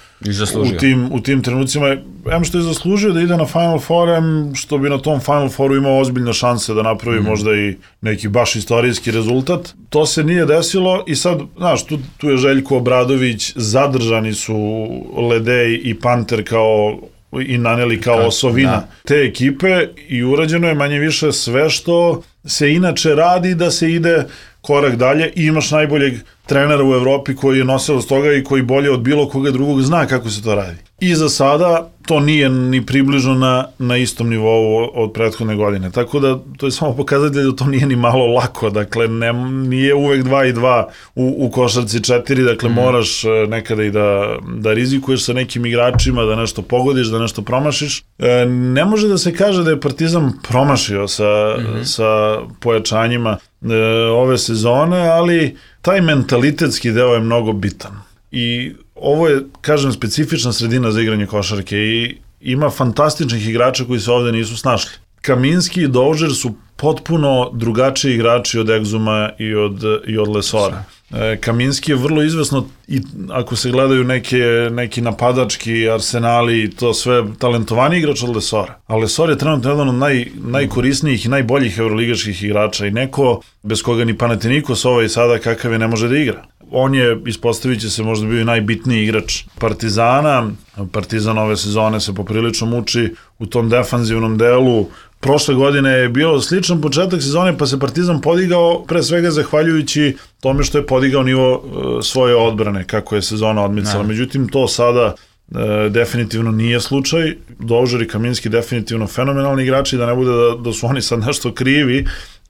u tim, u tim trenucima. Em što je zaslužio da ide na Final Four, em što bi na tom Final Fouru imao ozbiljne šanse da napravi mm. možda i neki baš istorijski rezultat. To se nije desilo i sad, znaš, tu, tu je Željko Obradović, zadržani su Ledej i Panter kao i naneli kao osovina da. te ekipe i urađeno je manje više sve što se inače radi da se ide korak dalje i imaš najboljeg trenera u Evropi koji je nosilac toga i koji bolje od bilo koga drugog zna kako se to radi. I za sada to nije ni približno na, na istom nivou od prethodne godine. Tako da to je samo pokazatelj da to nije ni malo lako. Dakle, ne, nije uvek dva i dva u, u košarci četiri. Dakle, mm. moraš nekada i da, da rizikuješ sa nekim igračima, da nešto pogodiš, da nešto promašiš. E, ne može da se kaže da je Partizan promašio sa, mm-hmm. sa pojačanjima e, ove sezone, ali taj mentalitetski deo je mnogo bitan. I ovo je, kažem, specifična sredina za igranje košarke i ima fantastičnih igrača koji se ovde nisu snašli. Kaminski i Dožer su potpuno drugačiji igrači od Egzuma i od, i od Lesora. E, Kaminski je vrlo izvesno i ako se gledaju neke, neki napadački arsenali i to sve, talentovani igrač od Lesora. A Lesor je trenutno jedan od naj, najkorisnijih i najboljih evroligaških igrača i neko bez koga ni Panathinaikos ovaj sada kakav je ne može da igra. On je, ispostavit će se, možda bio i najbitniji igrač Partizana. Partizan ove sezone se poprilično muči u tom defanzivnom delu. Prošle godine je bio sličan početak sezone, pa se Partizan podigao pre svega zahvaljujući tome što je podigao nivo e, svoje odbrane, kako je sezona odmicala. Međutim, to sada e, definitivno nije slučaj. Dožer i Kaminski definitivno fenomenalni igrači, da ne bude da, da su oni sad nešto krivi,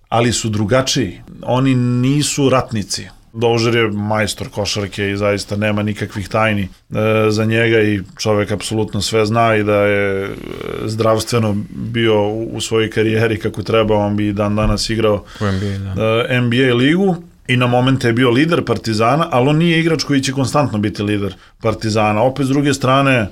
ali su drugačiji. Oni nisu ratnici. Dožer je majstor košarke i zaista nema nikakvih tajni e, za njega i čovek apsolutno sve zna i da je zdravstveno bio u, u svojoj karijeri kako treba, on bi dan danas igrao u N B A, da. e, N B A ligu i na momente je bio lider Partizana, ali on nije igrač koji će konstantno biti lider Partizana. Opet s druge strane,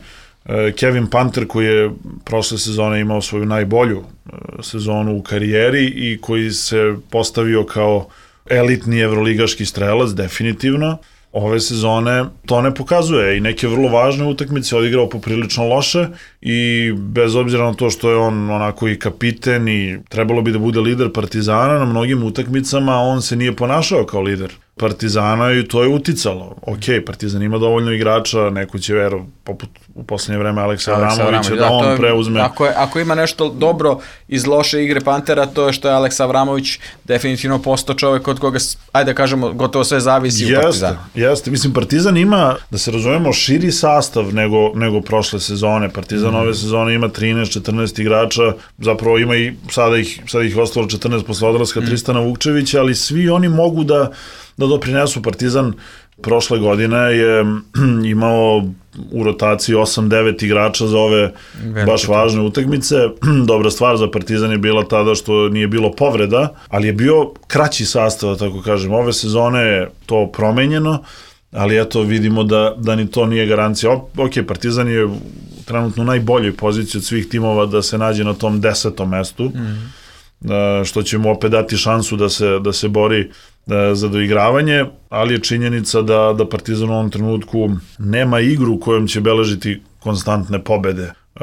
e, Kevin Panter koji je prošle sezone imao svoju najbolju e, sezonu u karijeri i koji se postavio kao elitni evroligaški strelac, definitivno. Ove sezone to ne pokazuje i neke vrlo važne utakmice odigrao poprilično loše i bez obzira na to što je on onako i kapiten i trebalo bi da bude lider Partizana, na mnogim utakmicama on se nije ponašao kao lider Partizana i to je uticalo. Ok, Partizan ima dovoljno igrača, neko će vero, poput u poslednje vreme Aleksa Avramovića, da, da on je, preuzme. Ako, je, ako ima nešto dobro iz loše igre Pantera, to je što je Aleksa Avramović definitivno postao čovek od koga, ajde da kažemo, gotovo sve zavisi jeste, u Partizanu. Jeste, mislim, Partizan ima, da se razumemo, širi sastav nego, nego prošle sezone. Partizan mm. ove sezone ima trinaest četrnaest igrača, zapravo ima i sada ih, sada ih ostalo četrnaest posle odlaska mm. Tristana Vukčevića, ali svi oni mogu da da doprinesu. Partizan prošle godine je imao u rotaciji osam devet igrača za ove Velike. baš važne utakmice. Dobra stvar za Partizan je bila tada što nije bilo povreda, ali je bio kraći sastav, tako kažem. Ove sezone je to promenjeno, ali eto vidimo da, da ni to nije garancija. Ok, Partizan je trenutno u najboljoj poziciji od svih timova da se nađe na tom desetom mestu, mm. što će mu opet dati šansu da se, da se bori za doigravanje, ali je činjenica da, da Partizan u ovom trenutku nema igru kojom će beležiti konstantne pobede uh,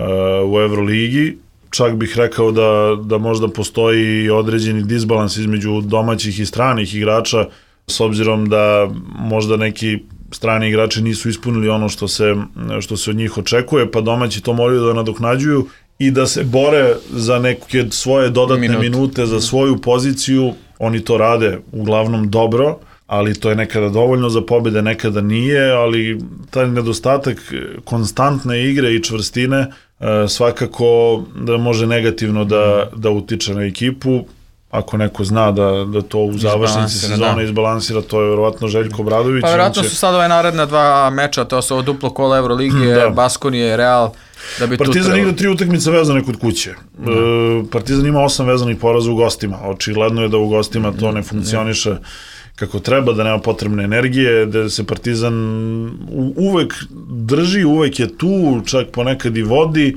u Evroligi. Čak bih rekao da, da možda postoji određeni disbalans između domaćih i stranih igrača, s obzirom da možda neki strani igrači nisu ispunili ono što se, što se od njih očekuje, pa domaći to moraju da nadoknađuju i da se bore za neke svoje dodatne minute, minute za svoju poziciju. Oni to rade uglavnom dobro, ali to je nekada dovoljno za pobjede, nekada nije, ali taj nedostatak konstantne igre i čvrstine svakako da može negativno da, da utiče na ekipu. Ako neko zna da, da to u završnici sezona da. izbalansira, to je verovatno Željko Obradović. Pa verovatno će... su sad ove naredna dva meča, to su ovo duplo kola Evroligije, da. Baskonije, Real, da bi Partizan tu igra tri utakmice vezane kod kuće. Da. E, Partizan ima osam vezanih poraza u gostima. Očigledno je da u gostima to ne funkcioniše kako treba, da nema potrebne energije, da se Partizan uvek drži, uvek je tu, čak ponekad i vodi,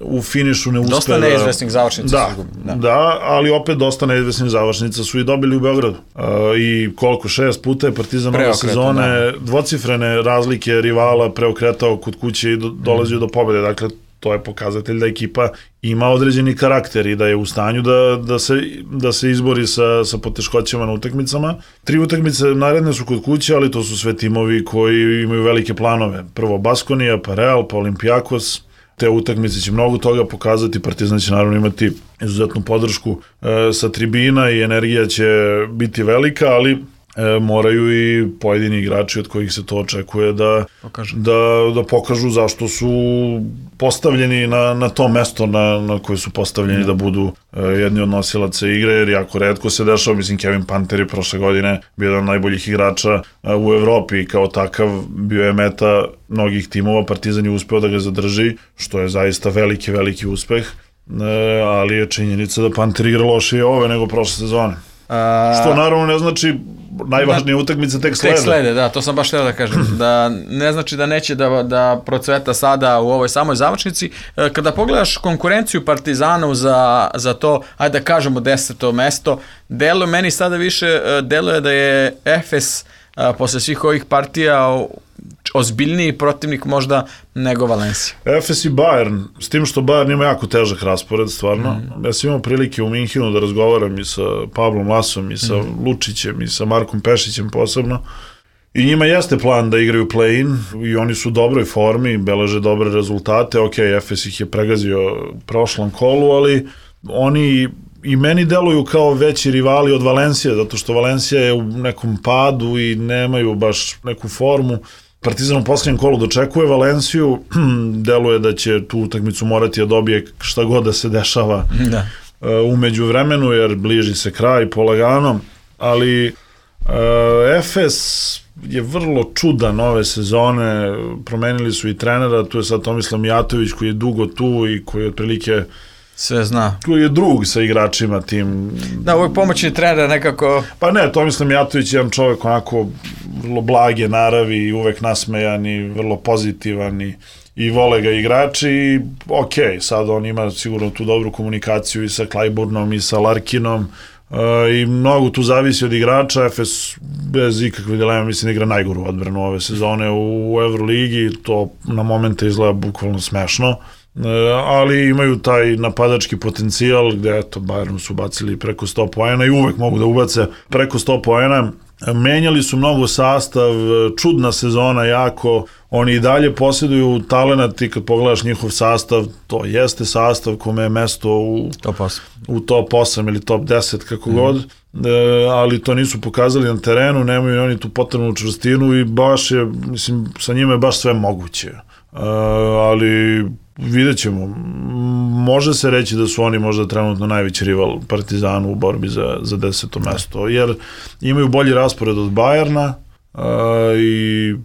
u finišu ne uspe da... Dosta neizvesnih završnica da, su da. da, ali opet dosta neizvesnih završnica su i dobili u Beogradu. Uh, I koliko, šest puta je Partizan ove sezone da. dvocifrene razlike rivala preokretao kod kuće i do, dolazio mm. do pobjede. Dakle, to je pokazatelj da ekipa ima određeni karakter i da je u stanju da, da, se, da se izbori sa, sa poteškoćama na utakmicama. Tri utakmice naredne su kod kuće, ali to su sve timovi koji imaju velike planove. Prvo Baskonija, pa Real, pa Olimpijakos. te utakmice će mnogo toga pokazati, Partizan će naravno imati izuzetnu podršku e, sa tribina i energija će biti velika, ali E, moraju i pojedini igrači od kojih se to očekuje da pokažu, da, da pokažu zašto su postavljeni na, na to mesto na, na koje su postavljeni mm. da budu e, jedni od nosilaca igre, jer jako retko se dešava. Mislim, Kevin Panter je prošle godine bio jedan od najboljih igrača e, u Evropi i kao takav bio je meta mnogih timova. Partizan je uspeo da ga zadrži, što je zaista veliki, veliki uspeh, e, ali je činjenica da Panter igra lošije ove nego prošle sezone. A... Što naravno ne znači najvažnije utakmice tek slede. Tek slede, da, to sam baš htio da kažem. Da ne znači da neće da, da procveta sada u ovoj samoj završnici. Kada pogledaš konkurenciju Partizanu za, za to, ajde da kažemo deseto mesto, deluje meni sada više, deluje da je Efes posle svih ovih partija ozbiljniji protivnik možda nego Valencija. Efes i Bayern, s tim što Bayern ima jako težak raspored, stvarno. Mm. Ja sam imao prilike u Minhinu da razgovaram i sa Pavlom Lasom, i sa mm. Lučićem, i sa Markom Pešićem posebno. I njima jeste plan da igraju play-in i oni su u dobroj formi, beleže dobre rezultate. Ok, Efes ih je pregazio u prošlom kolu, ali oni i meni deluju kao veći rivali od Valencije, zato što Valencija je u nekom padu i nemaju baš neku formu. Partizan u posljednjem kolu dočekuje Valenciju, deluje da će tu utakmicu morati da dobije šta god da se dešava da. Uh, umeđu vremenu, jer bliži se kraj polagano, ali uh, Efes je vrlo čudan ove sezone, promenili su i trenera, tu je sad Tomislav Mijatović koji je dugo tu i koji je otprilike sve zna. Tu je drug sa igračima tim. Da, uvijek pomoćni trener nekako... Pa ne, Tomislav Mijatović je jedan čovjek onako vrlo blage naravi i uvek nasmejan i vrlo pozitivan i, i vole ga igrači i ok, sad on ima sigurno tu dobru komunikaciju i sa Klajburnom i sa Larkinom uh, i mnogo tu zavisi od igrača. Efes bez ikakve dileme mislim igra najgoru odbranu ove sezone u, u Euroligi, to na momente izgleda bukvalno smešno. Ali imaju taj napadački potencijal gde eto Bayernu su bacili preko sto poena i uvek mogu da ubace preko sto poena. Menjali su mnogo sastav, čudna sezona jako, oni i dalje posjeduju talenat i kad pogledaš njihov sastav, to jeste sastav kome je mesto u top osam, u top osam ili top deset kako mm. god, e, ali to nisu pokazali na terenu, nemaju oni tu potrebnu čvrstinu i baš je, mislim, sa njima je baš sve moguće. E, ali vidjet ćemo. Može se reći da su oni možda trenutno najveći rival Partizanu u borbi za, za deseto mesto, jer imaju bolji raspored od Bayerna uh, i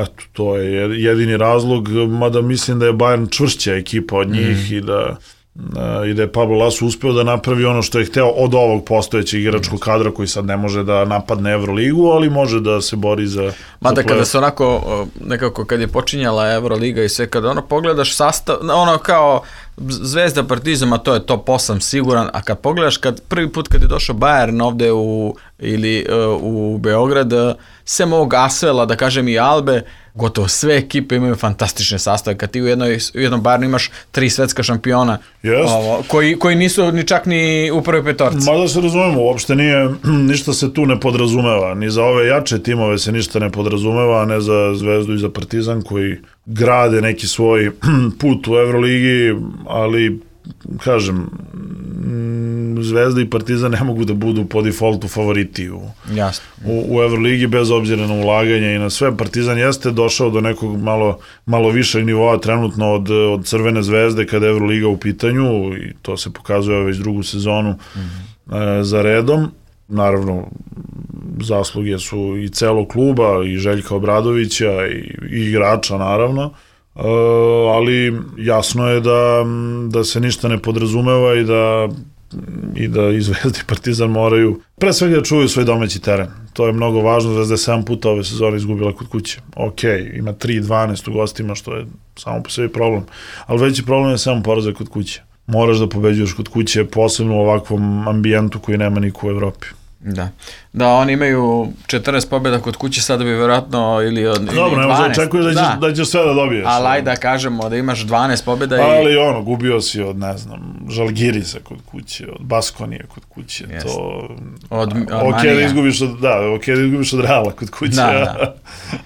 eto, to je jedini razlog, mada mislim da je Bayern čvršća ekipa od njih mm. i da Uh, i da je Pablo Laso uspeo da napravi ono što je hteo od ovog postojećeg igračkog kadra koji sad ne može da napadne Evroligu, ali može da se bori za... Mada za kada se onako, nekako kad je počinjala Evroliga i sve, kada ono pogledaš sastav, ono kao Zvezda, Partizan, a to je top osam siguran, a kad pogledaš, kad prvi put kad je došao Bayern ovde u, ili uh, u Beograd, sem ovog Asvela, da kažem i Albe, gotovo sve ekipe imaju fantastične sastave. Kad ti u, jednoj, u jednom Bayernu imaš tri svetska šampiona ovo, koji, koji nisu ni čak ni u prvoj petorci. Mada se razumemo, uopšte nije, ništa se tu ne podrazumeva. Ni za ove jače timove se ništa ne podrazumeva, a ne za Zvezdu i za Partizan koji grade neki svoj put u Evroligi, ali kažem, Zvezda i Partizan ne mogu da budu po defaultu favoriti u, u, u Evroligi bez obzira na ulaganje i na sve. Partizan jeste došao do nekog malo, malo višeg nivoa trenutno od, od Crvene zvezde kada je Evroliga u pitanju i to se pokazuje već drugu sezonu mm-hmm. e, za redom. Naravno, zasluge su i celog kluba i Željka Obradovića i, i igrača naravno. Uh, ali jasno je da, da se ništa ne podrazumeva i da i da i Zvezda i Partizan moraju pre svega da čuvaju svoj domaći teren. To je mnogo važno. Zvezda je sedam puta ove sezone izgubila kod kuće. Ok, ima tri dvanaest u gostima, što je samo po sebi problem. Ali veći problem je sedam poraza kod kuće. Moraš da pobeđuješ kod kuće, posebno u ovakvom ambijentu koji nema niko u Evropi. Da. Da, oni imaju četrnaest pobjeda kod kuće, sada bi vjerojatno ili od ili dobro, dvanaest. Dobro, očekuješ da, da. da ćeš sve da dobiješ. Ali ajde da kažemo da imaš dvanaest pobjeda i... Ali ono, gubio si od, ne znam, Žalgirisa kod kuće, od Baskonije kod kuće, Jest. to... Od, od ok, da izgubiš od, da, ok, da izgubiš od Reala kod kuće, da, da.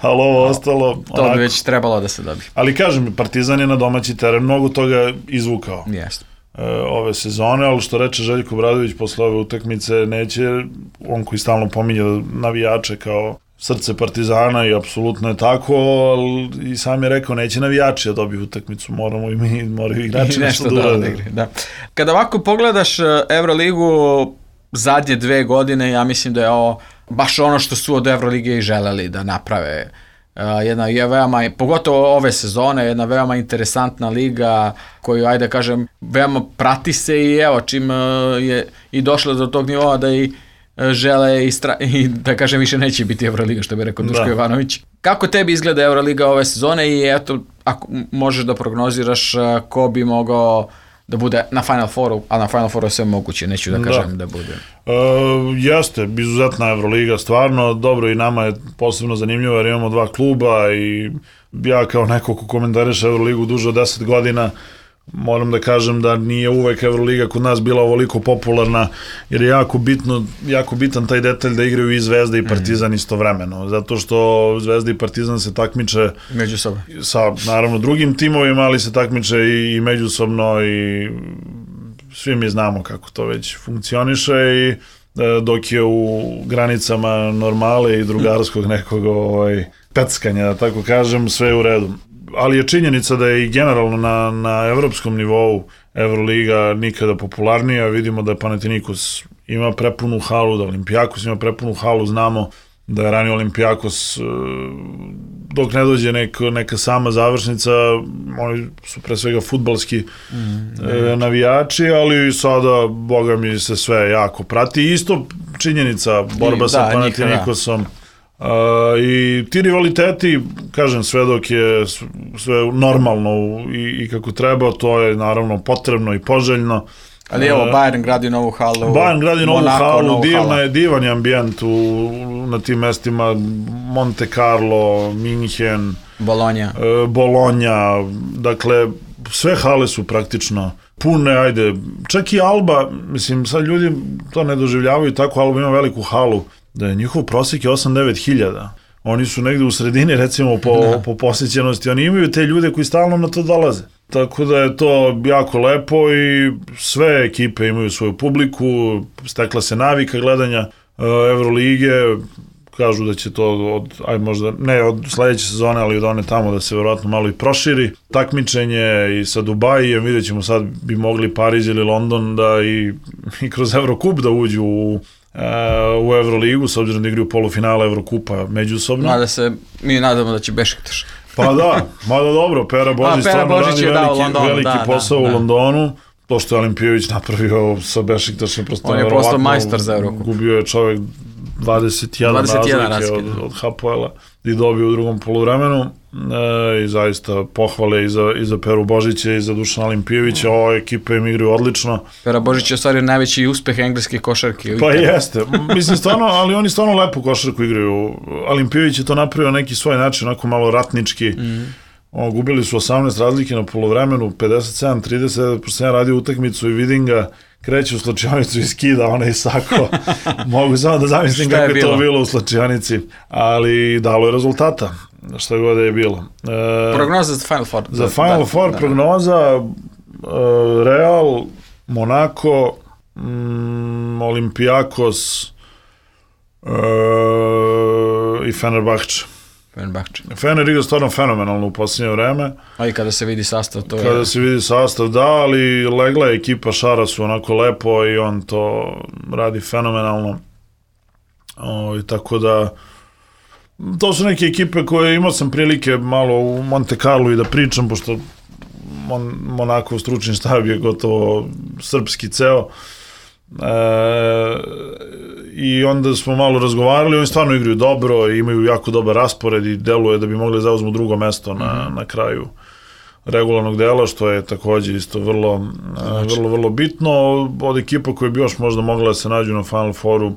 ali ovo ostalo... To onako. bi već trebalo da se dobije. Ali kažem, Partizan je na domaći teren mnogo toga izvukao. Jeste. Ove sezone, ali što reče Željko Obradović posle ove utakmice, neće, on koji stalno pominje navijače kao srce Partizana i apsolutno je tako, ali i sam je rekao neće navijači da dobiju utakmicu, moramo i mi, moraju igrači nešto da urade. Da. Kada ovako pogledaš Evroligu zadnje dve godine, ja mislim da je ovo baš ono što su od Evrolige i želeli da naprave. Uh, jedna je veoma, pogotovo ove sezone, jedna veoma interesantna liga koju, ajde kažem, veoma prati se i evo čim uh, je i došla do tog nivoa da i uh, žele i, stra- i da kažem više neće biti Evroliga, što bi rekao Duško da. Ivanović. Kako tebi izgleda Evroliga ove sezone i eto, ako možeš da prognoziraš uh, ko bi mogao da bude na Final Fouru, a na Final Fouru je sve moguće, neću da kažem da, da bude. E, jeste, izuzetna Evroliga, stvarno, dobro i nama je posebno zanimljivo jer imamo dva kluba i ja kao neko ko komentariše Evroligu duže od deset godina, moram da kažem da nije uvek Evroliga kod nas bila ovoliko popularna, jer je jako bitno, jako bitan taj detalj da igraju i Zvezda i Partizan mm. istovremeno, zato što Zvezda i Partizan se takmiče međusobno sa, naravno, drugim timovima, ali se takmiče i, i međusobno i svi mi znamo kako to već funkcioniše i dok je u granicama normale i drugarskog nekog ovaj, peckanja, da tako kažem, sve je u redu. Ali je činjenica da je i generalno na, na evropskom nivou Evroliga nikada popularnija. Vidimo da Panathinaikos ima prepunu halu, da Olympiakos ima prepunu halu. Znamo da je ranije Olympiakos, dok ne dođe nek, neka sama završnica, oni su pre svega fudbalski mm, navijači, ali sada, boga mi, se sve jako prati. Isto činjenica, borba I, sa da, Panathinaikosom. Uh, i ti rivaliteti, kažem, sve dok je sve normalno i, i kako treba, to je naravno potrebno i poželjno. Ali evo, Bayern gradi novu halu. Bayern gradi novu Monaco, halu, divna je, divan je ambijent u, na tim mestima, Monte Carlo, Minhen, Bologna. Uh, Bologna, dakle, sve hale su praktično pune, ajde, čak i Alba, mislim, sad ljudi to ne doživljavaju tako, Alba ima veliku halu, da je njihov prosjek je osam devet hiljada. Oni su negde u sredini, recimo, po, po posjećenosti. Oni imaju te ljude koji stalno na to dolaze. Tako da je to jako lepo i sve ekipe imaju svoju publiku, stekla se navika gledanja uh, Evrolige, kažu da će to od, aj možda, ne od sledeće sezone, ali od one tamo da se verovatno malo i proširi. Takmičenje i sa Dubajijem, vidjet ćemo sad bi mogli Pariz ili London da i, i kroz Evrokup da uđu u u Evroligu, s obzirom da igraju polufinale Evrokupa međusobno. Mada se mi nadamo da će Bešiktaš. Pa da, mada dobro, Pera Božić stvarno radi veliki, Londonu, veliki da, posao da, u Londonu. To što je Olimpijević napravio sa Bešiktašem, prosto on je postao majstor za Evrokup. Gubio je čovjek dvadeset jedan razlike od, od Hapoela i dobio u drugom poluvremenu. E, i zaista pohvale i za, i za Peru Božića i za Dušana Olimpijevića. Ova ekipa im igraju odlično. Pera Božić je ostvario najveći uspeh engleske košarke. Pa jeste, mislim stvarno, ali oni stvarno lepu košarku igraju. Olimpijević je to napravio neki svoj način, onako malo ratnički. Mm. O, gubili su osamnaest razlike na poluvremenu, pedeset sedam trideset, pošto sam radio utakmicu i vidim ga kreće u slačionicu i skida onaj sako. Mogu samo da zamislim kako je, je to bilo u slačionici, ali dalo je rezultata, šta god je bilo. E, prognoza za Final Four. Za Final da, Four da, prognoza e, Real, Monaco, mm, Olympiakos e, i Fenerbahče. Fenerbahče. Fener igra stvarno fenomenalno u posljednje vreme. A i kada se vidi sastav, to je... Kada se vidi sastav, da, ali legla je ekipa Šara su onako lepo i on to radi fenomenalno. O, i tako da, to su neke ekipe koje imao sam prilike malo u Monte Carlo i da pričam, pošto Mon, Monakov stručni štab je gotovo srpski ceo. E, i onda smo malo razgovarali, oni stvarno igraju dobro, imaju jako dobar raspored i deluje da bi mogli zauzmu drugo mesto na, mm-hmm. na kraju regularnog dela, što je također isto vrlo, znači. vrlo, vrlo bitno. Od ekipa koje bi još možda mogla da se nađu na Final Fouru,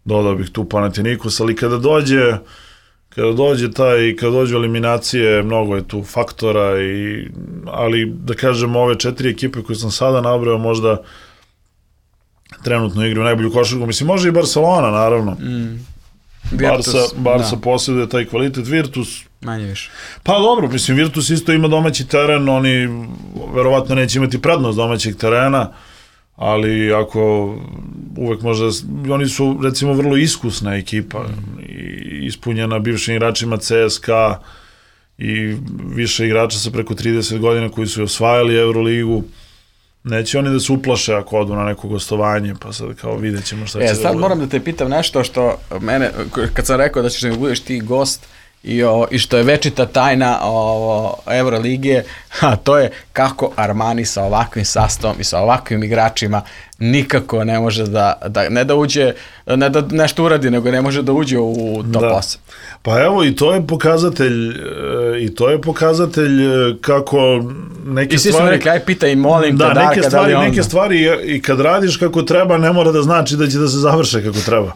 dodao bih tu Panathinaikos, ali kada dođe kada dođe taj, kada dođu eliminacije, mnogo je tu faktora, i, ali da kažem, ove četiri ekipe koje sam sada nabrao možda trenutno igraju najbolju košarku, mislim može i Barcelona naravno. Mm. Virtus, Barca, Barca da. Posjeduje taj kvalitet, Virtus manje više. Pa dobro, mislim Virtus isto ima domaći teren, oni verovatno neće imati prednost domaćeg terena, ali ako uvek možda, oni su recimo vrlo iskusna ekipa, mm. i ispunjena bivšim igračima C S K A i više igrača sa preko trideset godina koji su osvajali Euroligu. Neće oni da se uplaše ako odu na neko gostovanje, pa sad kao vidjet ćemo šta će e, da sad bude. Moram da te pitam nešto što mene, kad sam rekao da ćeš da mi budeš ti gost i, o, i što je večita tajna o, Euroligije, a to je kako Armani sa ovakvim sastavom i sa ovakvim igračima nikako ne može da, da ne da uđe, ne da nešto uradi, nego ne može da uđe u top da. osam. Pa evo, i to je pokazatelj, i to je pokazatelj kako neke I svi stvari... smo rekli, aj pitaj, molim da, te, Darka, neke stvari, da li neke stvari i kad radiš kako treba, ne mora da znači da će da se završe kako treba.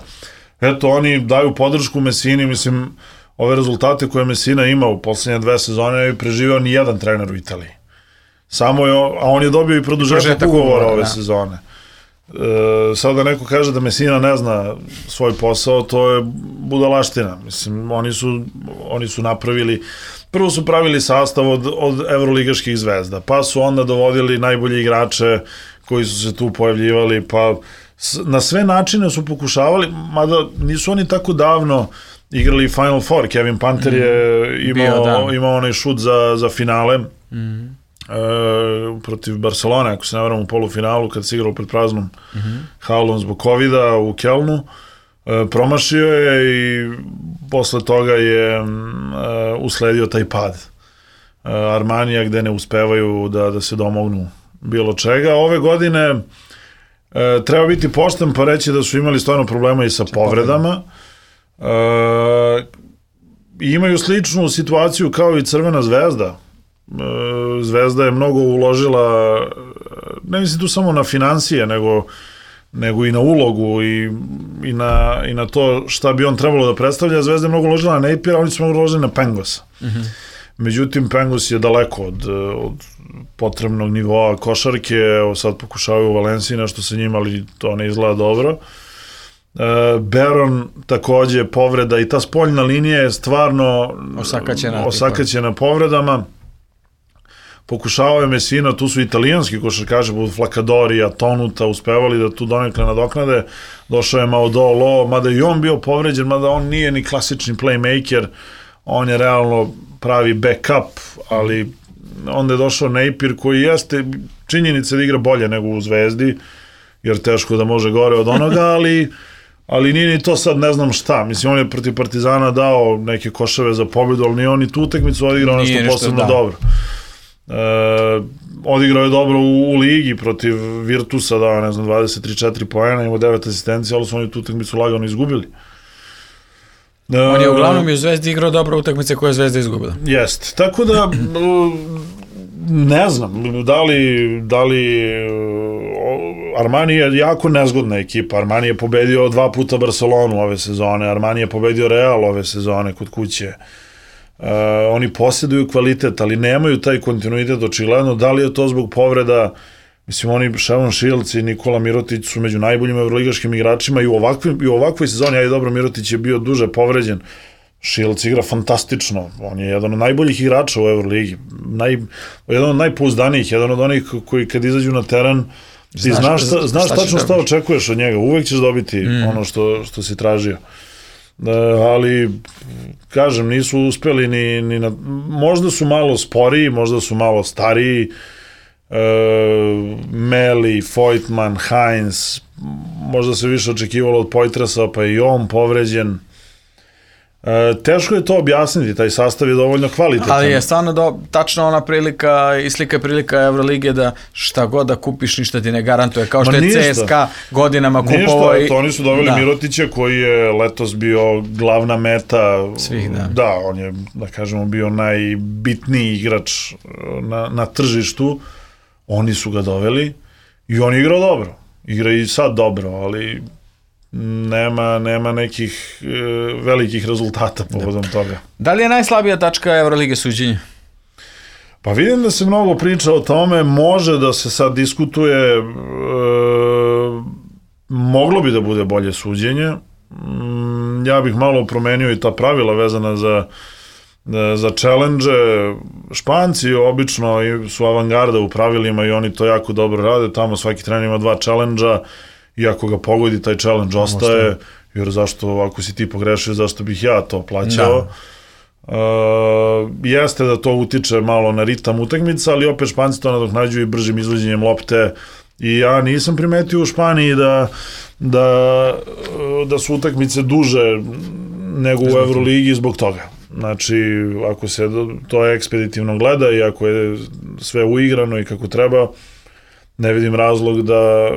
Eto, oni daju podršku Messini, mislim, ove rezultate koje Messina ima u poslednje dve sezone je preživeo ni jedan trener u Italiji. Samo je, a on je dobio i produžetak ugovora ove da. sezone. E, sada neko kaže da Messina ne zna svoj posao, to je budalaština. Mislim, oni su, oni su napravili, prvo su pravili sastav od, od evroligaških zvezda, pa su onda dovodili najbolje igrače koji su se tu pojavljivali, pa na sve načine su pokušavali, mada nisu oni tako davno igrali Final Four. Kevin Panter je imao, Bio, imao onaj šut za, za finale mm. e, protiv Barcelone, ako se ne varam, u polufinalu kad se igralo pred praznom mm. halom zbog covida u Kelnu. E, promašio je i posle toga je e, usledio taj pad e, Armanija, gde ne uspevaju da, da se domognu bilo čega. Ove godine e, treba biti pošten pa reći da su imali stvarno problema i sa povredama. Uh, imaju sličnu situaciju kao i Crvena zvezda. Uh, zvezda je mnogo uložila, ne mislim tu samo na financije, nego, nego i na ulogu i, i, na, i na to šta bi on trebalo da predstavlja. Zvezda je mnogo uložila na Napiera, oni su mnogo uložili na Pengosa. Mm-hmm. Međutim, Pengos je daleko od, od potrebnog nivoa košarke. Evo sad pokušavaju u Valenciji nešto sa njima, ali to ne izgleda dobro. Uh, Baron takođe povreda i ta spoljna linija je stvarno osakaćena, osakaćena povredama. Pokušavao je Messina, tu su italijanski košarkaši poput Flacadorija, Tonuta, uspevali da tu donekle nadoknade. Došao je Maudolo, mada i on bio povređen, mada on nije ni klasični playmaker, on je realno pravi backup, ali onda je došao Napier koji jeste činjenica da igra bolje nego u Zvezdi, jer teško da može gore od onoga, ali ali nije ni to sad ne znam šta. Mislim, on je protiv Partizana dao neke koševe za pobjedu, ali nije on ni tu utakmicu odigrao nešto posebno da. dobro. E, odigrao je dobro u, u ligi protiv Virtusa, dao ne znam dvadeset tri četiri poena, imao devet asistencija, ali su oni tu utakmicu lagano izgubili. E, on je uglavnom i u Zvezdi igrao dobro utakmice koje je Zvezda izgubila. Jest. Tako da ne znam, da li, da li Armani je jako nezgodna ekipa. Armani je pobedio dva puta Barcelonu ove sezone, Armani je pobedio Real ove sezone kod kuće. Uh, oni posjeduju kvalitet, ali nemaju taj kontinuitet očigledno. Da li je to zbog povreda? Mislim, oni, Shavon Shields i Nikola Mirotić su među najboljim evroligaškim igračima i u, ovakvim, i u ovakvoj sezoni, a i dobro, Mirotić je bio duže povređen. Shields igra fantastično, on je jedan od najboljih igrača u Euroligi, Naj, jedan od najpouzdanijih, jedan od onih koji kad izađu na teren ti znaš, znaš, šta, znaš šta tačno šta očekuješ od njega, uvek ćeš dobiti mm. ono što, što si tražio. E, ali, kažem, nisu uspeli ni, ni na, možda su malo sporiji, možda su malo stariji, e, Meli, Voigtman, Heinz, možda se više očekivalo od Poitrasa, pa i on povređen. E, teško je to objasniti, taj sastav je dovoljno kvalitetan. Ali je stvarno do, tačno ona prilika i slika prilika Evrolige da šta god da kupiš ništa ti ne garantuje, kao što Ma je ništa. C S K A godinama kupovao. Ništa, to oni su doveli da. Mirotića koji je letos bio glavna meta svih, da. Da, on je, da kažemo, bio najbitniji igrač na, na tržištu. Oni su ga doveli i on je igrao dobro. Igra i sad dobro, ali nema, nema nekih e, velikih rezultata povodom toga. Da li je najslabija tačka Evrolige suđenja? Pa vidim da se mnogo priča o tome, može da se sad diskutuje, e, moglo bi da bude bolje suđenje. Mm, ja bih malo promenio i ta pravila vezana za za challenge. Španci obično su avangarda u pravilima i oni to jako dobro rade, tamo svaki trener ima dva challenge-a i ako ga pogodi taj challenge ostaje, jer zašto, ako si ti pogrešio, zašto bih ja to plaćao. Uh, jeste da to utiče malo na ritam utakmica, ali opet Španci to nadoknađuju i bržim izvođenjem lopte i ja nisam primetio u Španiji da, da, da su utakmice duže nego u Evroligi zbog toga. Znači, ako se to ekspeditivno gleda i ako je sve uigrano i kako treba, ne vidim razlog da...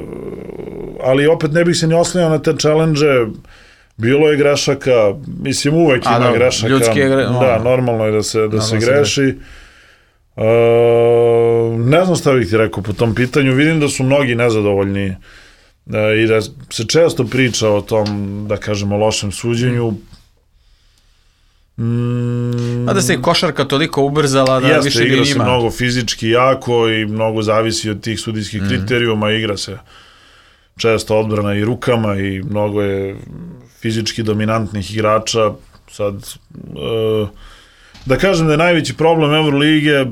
Ali opet ne bih se ni oslanjao na te challenge-e, bilo je grešaka, mislim uvek ima da, grešaka. Ljudski je gre... Da, normalno je da se, da se greši. Uh, ne znam šta bih ti rekao po tom pitanju, vidim da su mnogi nezadovoljni uh, i da se često priča o tom, da kažemo, lošem suđenju. Mm, a da se i košarka toliko ubrzala da jeste, više ni igra njima. Se mnogo fizički jako i mnogo zavisi od tih sudijskih mm. kriterijuma, igra se često odbrana i rukama i mnogo je fizički dominantnih igrača. Sad, uh, da kažem da je najveći problem Evrolige,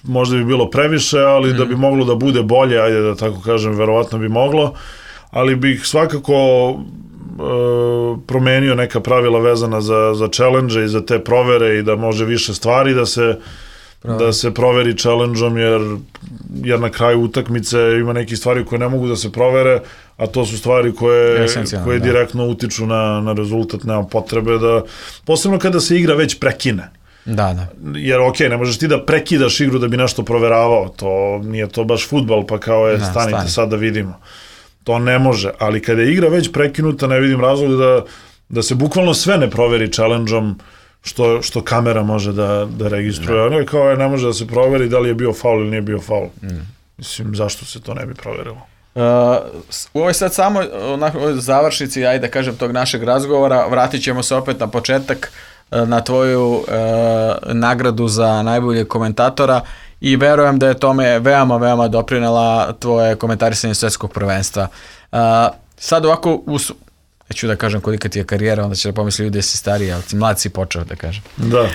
možda bi bilo previše, ali mm. da bi moglo da bude bolje, ajde da tako kažem, verovatno bi moglo, ali bih svakako promenio neka pravila vezana za, za challenge i za te provere i da može više stvari da se, da se proveri challenge-om, jer, jer na kraju utakmice ima neke stvari koje ne mogu da se provere, a to su stvari koje, koje da. direktno utiču na, na rezultat, nema potrebe da, posebno kada se igra već prekine. Da, da. Jer ok, ne možeš ti da prekidaš igru da bi nešto proveravao, to nije to baš fudbal, pa kao je, da, stanite stani. Sad da vidimo. To ne može, ali kada je igra već prekinuta, ne vidim razlog da, da se bukvalno sve ne proveri challenge-om što, što kamera može da, da registruje. Ono je kao je, ne može da se proveri da li je bio faul ili nije bio faul. Mm. Mislim, zašto se to ne bi proverilo? Uh, u ovoj sad samo na završnici, ajde da kažem, tog našeg razgovora, vratit ćemo se opet na početak, na tvoju uh, nagradu za najboljeg komentatora i verujem da je tome veoma, veoma doprinela tvoje komentarisanje svetskog prvenstva. Uh, sad ovako, us, neću da kažem kolika ti je karijera, onda će da pomisli ljudi da si stariji, ali ti mlad si počeo, da kažem. Da. uh,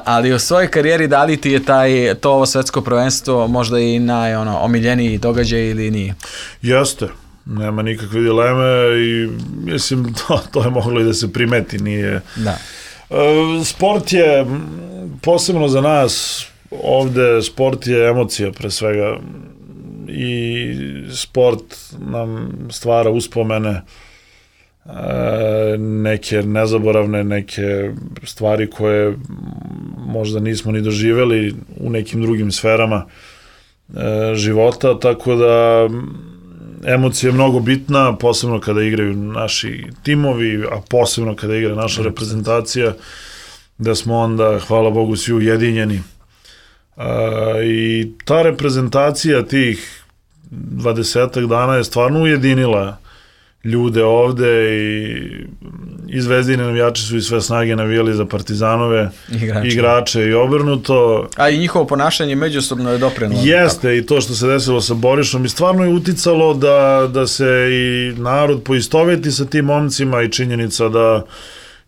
ali u svojoj karijeri da li ti je taj, to ovo svetsko prvenstvo možda i naj, ono, omiljeniji događaj ili nije? Jeste. Nema nikakve dileme i mislim to, to je moglo i da se primeti, nije... Da. E, sport je, posebno za nas, ovde sport je emocija pre svega i sport nam stvara uspomene, e, neke nezaboravne, neke stvari koje možda nismo ni doživeli u nekim drugim sferama e, života, tako da emocija je mnogo bitna, posebno kada igraju naši timovi, a posebno kada igra naša reprezentacija, da smo onda, hvala Bogu, svi ujedinjeni. Uh, I ta reprezentacija tih dvadesetak dana je stvarno ujedinila ljude ovde i, i Zvezdini navijači su i sve snage navijali za Partizanove igrače, igrače i obrnuto. A i njihovo ponašanje međusobno je doprinulo. Jeste, tako. I to što se desilo sa Borišom i stvarno je uticalo da, da se i narod poistoveti sa tim momcima i činjenica da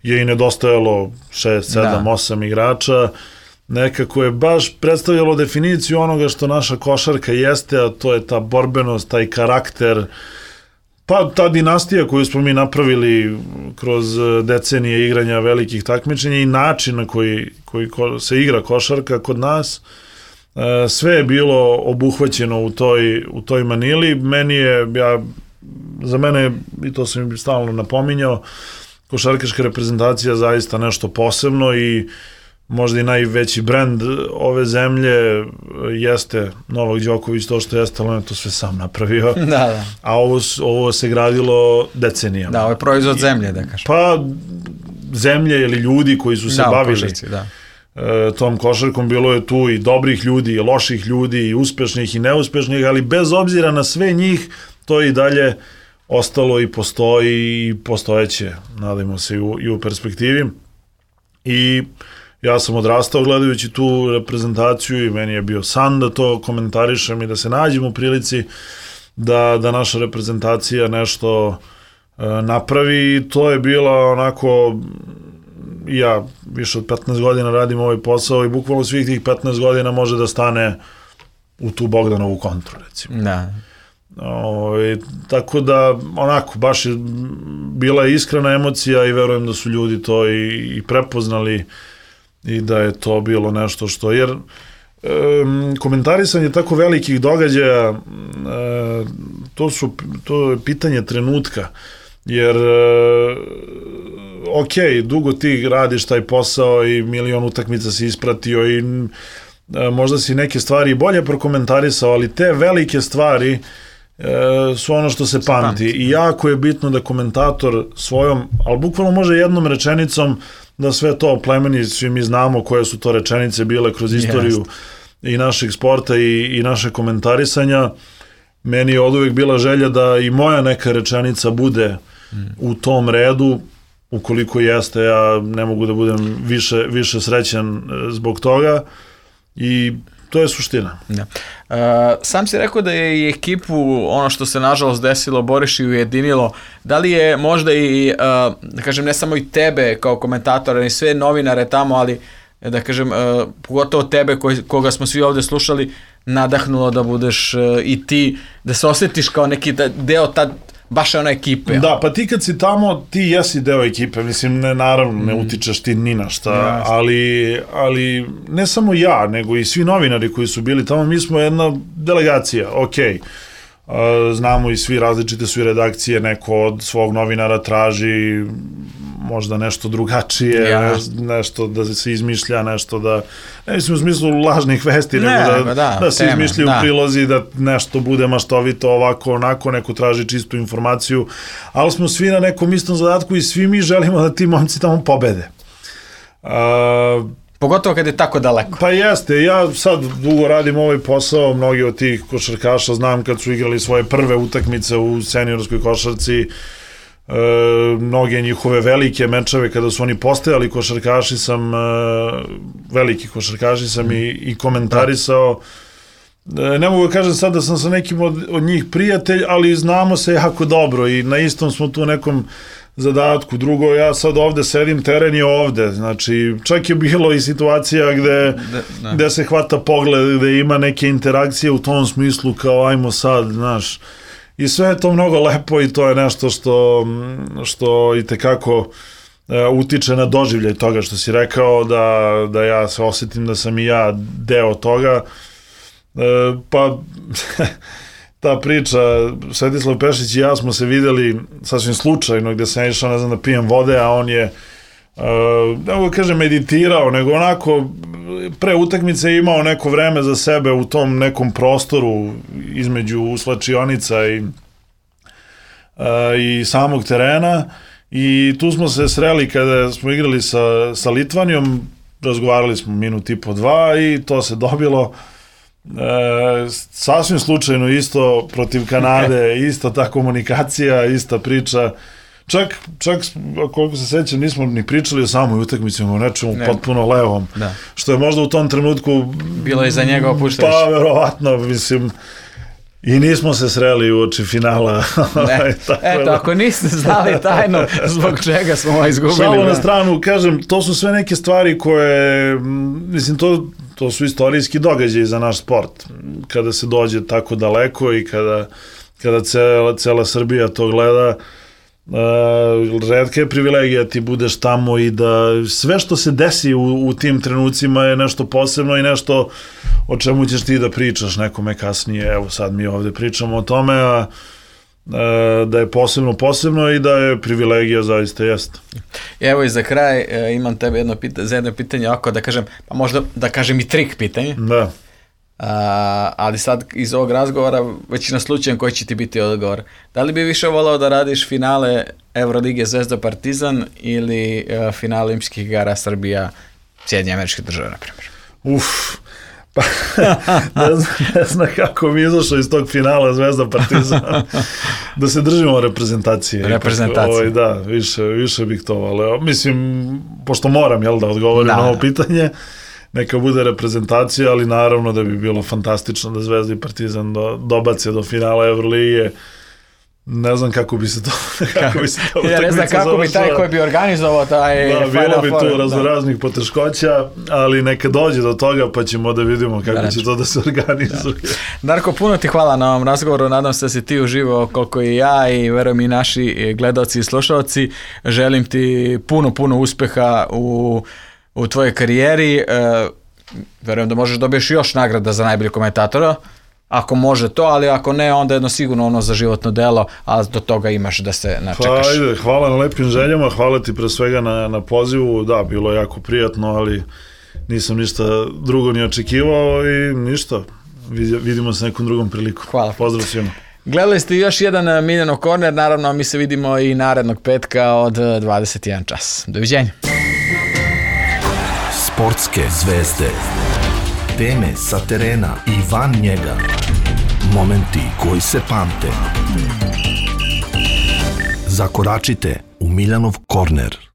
je i nedostajalo šest, sedam, osam igrača. Nekako je baš predstavljalo definiciju onoga što naša košarka jeste, a to je ta borbenost, taj karakter, pa ta dinastija koju smo mi napravili kroz decenije igranja velikih takmičenja i način na koji, koji se igra košarka kod nas, sve je bilo obuhvaćeno u toj, u toj Manili. Meni je, ja, za mene, i to sam im stalno napominjao, košarkaška reprezentacija zaista nešto posebno i možda i najveći brend ove zemlje jeste Novak Đoković, to što jeste, ali on je to sve sam napravio. Da, da. A ovo, ovo se gradilo decenijama. Da, ovo je proizvod zemlje, da kažem. Pa zemlje ili ljudi koji su se da, bavili košarci, da. e, tom košarkom, bilo je tu i dobrih ljudi, i loših ljudi, i uspešnih i neuspešnih, ali bez obzira na sve njih, to je i dalje ostalo i postoji i postojeće, nadajmo se i u, i u perspektivi. I ja sam odrastao gledajući tu reprezentaciju i meni je bio san da to komentarišem i da se nađem u prilici da, da naša reprezentacija nešto e, napravi. I to je bila onako, ja više od petnaest godina radim ovaj posao i bukvalno svih tih petnaest godina može da stane u tu Bogdanovu kontru, recimo. Da. O, i, tako da, onako, baš je bila iskrena emocija i verujem da su ljudi to i, i prepoznali i da je to bilo nešto što, jer e, komentarisanje tako velikih događaja, e, to su, to je pitanje trenutka, jer e, ok, dugo ti radiš taj posao i milion utakmica si ispratio i e, možda si neke stvari bolje prokomentarisao, ali te velike stvari e, su ono što se pamti i jako je bitno da komentator svojom, ali bukvalno može jednom rečenicom da sve to oplemeni, svi mi znamo koje su to rečenice bile kroz istoriju Jest. i našeg sporta i, i naše komentarisanja. Meni je od uvijek bila želja da i moja neka rečenica bude mm. u tom redu, ukoliko jeste, ja ne mogu da budem više, više srećan zbog toga i to je suština. Da. Uh, sam si rekao da je i ekipu ono što se nažalost desilo Boriš i ujedinilo. Da li je možda i, uh, da kažem, ne samo i tebe kao komentatora, i sve novinare tamo, ali da kažem, uh, pogotovo tebe koji, koga smo svi ovdje slušali, nadahnulo da budeš uh, i ti, da se osjetiš kao neki deo tad baš je ona ekipe. Da, pa ti kad si tamo, ti jesi deo ekipe, mislim, ne, naravno, ne utičeš ti ni na šta, ja, ali, ali ne samo ja, nego i svi novinari koji su bili tamo, mi smo jedna delegacija, okej. Okay. Znamo i svi, različite su i redakcije, neko od svog novinara traži možda nešto drugačije, ja. nešto da se izmišlja, nešto da, ne mislim u smislu lažnih vesti, ne, nego da, da, da se teme, izmišljaju da. prilozi, da nešto bude maštovito, ovako, onako, neko traži čistu informaciju, ali smo svi na nekom istom zadatku i svi mi želimo da ti momci tamo pobede. Uh, Pogotovo kad je tako daleko. Pa jeste, ja sad dugo radim ovaj posao, mnogi od tih košarkaša znam kad su igrali svoje prve utakmice u seniorskoj košarci, e, mnoge njihove velike mečeve kada su oni postajali košarkaši sam, e, veliki košarkaši sam mm. i, i komentarisao. E, ne mogu da kažem sad da sam sa nekim od, od njih prijatelj, ali znamo se jako dobro i na istom smo tu nekom zadatku. Drugo, ja sad ovde sedim, teren je ovde, znači čak je bilo i situacija gde, da, gde se hvata pogled, gde ima neke interakcije u tom smislu kao ajmo sad, znaš, i sve je to mnogo lepo i to je nešto što, što i tekako uh, utiče na doživljaj toga što si rekao, da, da ja se osjetim da sam i ja deo toga, uh, pa ta priča, Svetislav Pešić i ja smo se videli sasvim slučajno gdje sam išao, ne znam, da pijem vode, a on je, uh, ne mogu kažem meditirao, nego onako pre utakmice imao neko vreme za sebe u tom nekom prostoru između slačionica i, uh, i samog terena i tu smo se sreli kada smo igrali sa, sa Litvanijom, razgovarali smo minut i po dva i to se dobilo. E, sasvim slučajno isto protiv Kanade, ista ta komunikacija, ista priča, čak, čak koliko se sećam nismo ni pričali o samoj utakmici, o nečemu ne. potpuno levom, da. Što je možda u tom trenutku bilo i za njega opuštajuće. Pa verovatno, mislim, i nismo se sreli u oči finala. Ne. Eto, da. Ako niste znali tajno zbog čega smo ovo izgubili. Šalo na stranu, kažem, to su sve neke stvari koje, mislim, to to su istorijski događaji za naš sport. Kada se dođe tako daleko i kada, kada cela, cela Srbija to gleda, uh, retka je privilegija ti budeš tamo i da sve što se desi u, u tim trenucima je nešto posebno i nešto o čemu ćeš ti da pričaš nekome kasnije. Evo sad mi ovde pričamo o tome, a da je posebno posebno i da je privilegija zaista jest. Evo i za kraj imam tebe jedno pitanje, za jedno pitanje oko da kažem, pa možda da kažem i trik pitanje. Da. A, ali sad iz ovog razgovora većina slučajem koji će ti biti odgovor. Da li bi više volao da radiš finale Evrolige Zvezda Partizan ili uh, finale Olimpijskih igara Srbija Sjedinjene Američke Države, na primjer? Uf, Pa, ne, znam, ne znam kako mi izašao iz tog finala Zvezda Partizan. Da se držimo reprezentacije. Reprezentacije. Ovaj, da, više, više bih to valeo. Mislim, pošto moram, jel, da odgovorim da, na ovo pitanje, neka bude reprezentacija, ali naravno da bi bilo fantastično da Zvezda i Partizan do, dobace do finala Evrolige. Ne znam kako bi se to kako bi se to ja ne znam kako bi taj koji bi organizovao taj da, Final bilo bi Four, tu razno raznih poteškoća, ali neka dođe do toga pa ćemo da vidimo kako da, će to da se organizuje. Da. Darko, puno ti hvala na ovom razgovoru, nadam se da si ti uživao koliko i ja i verujem i naši gledaoci i slušaoci. Želim ti puno, puno uspeha u, u tvojoj karijeri. E, verujem da možeš dobiješ još nagrada za najbolji komentatora. Ako može to, ali ako ne, onda jedno sigurno ono za životno delo, a do toga imaš da se načekaš. Pa, ajde, hvala na lepim željama, hvala ti pre svega na, na pozivu, da, bilo je jako prijatno, ali nisam ništa drugo ni očekivao i ništa, vidimo se nekom drugom priliku. Hvala. Pozdrav svima. Gledali ste još jedan Miljanov korner, naravno mi se vidimo i narednog petka od dvadeset jedan čas. Doviđenja. Sportske zvezde. Teme sa terena i van njega. Momenti koji se pamte. Zakoračite u Miljanov korner.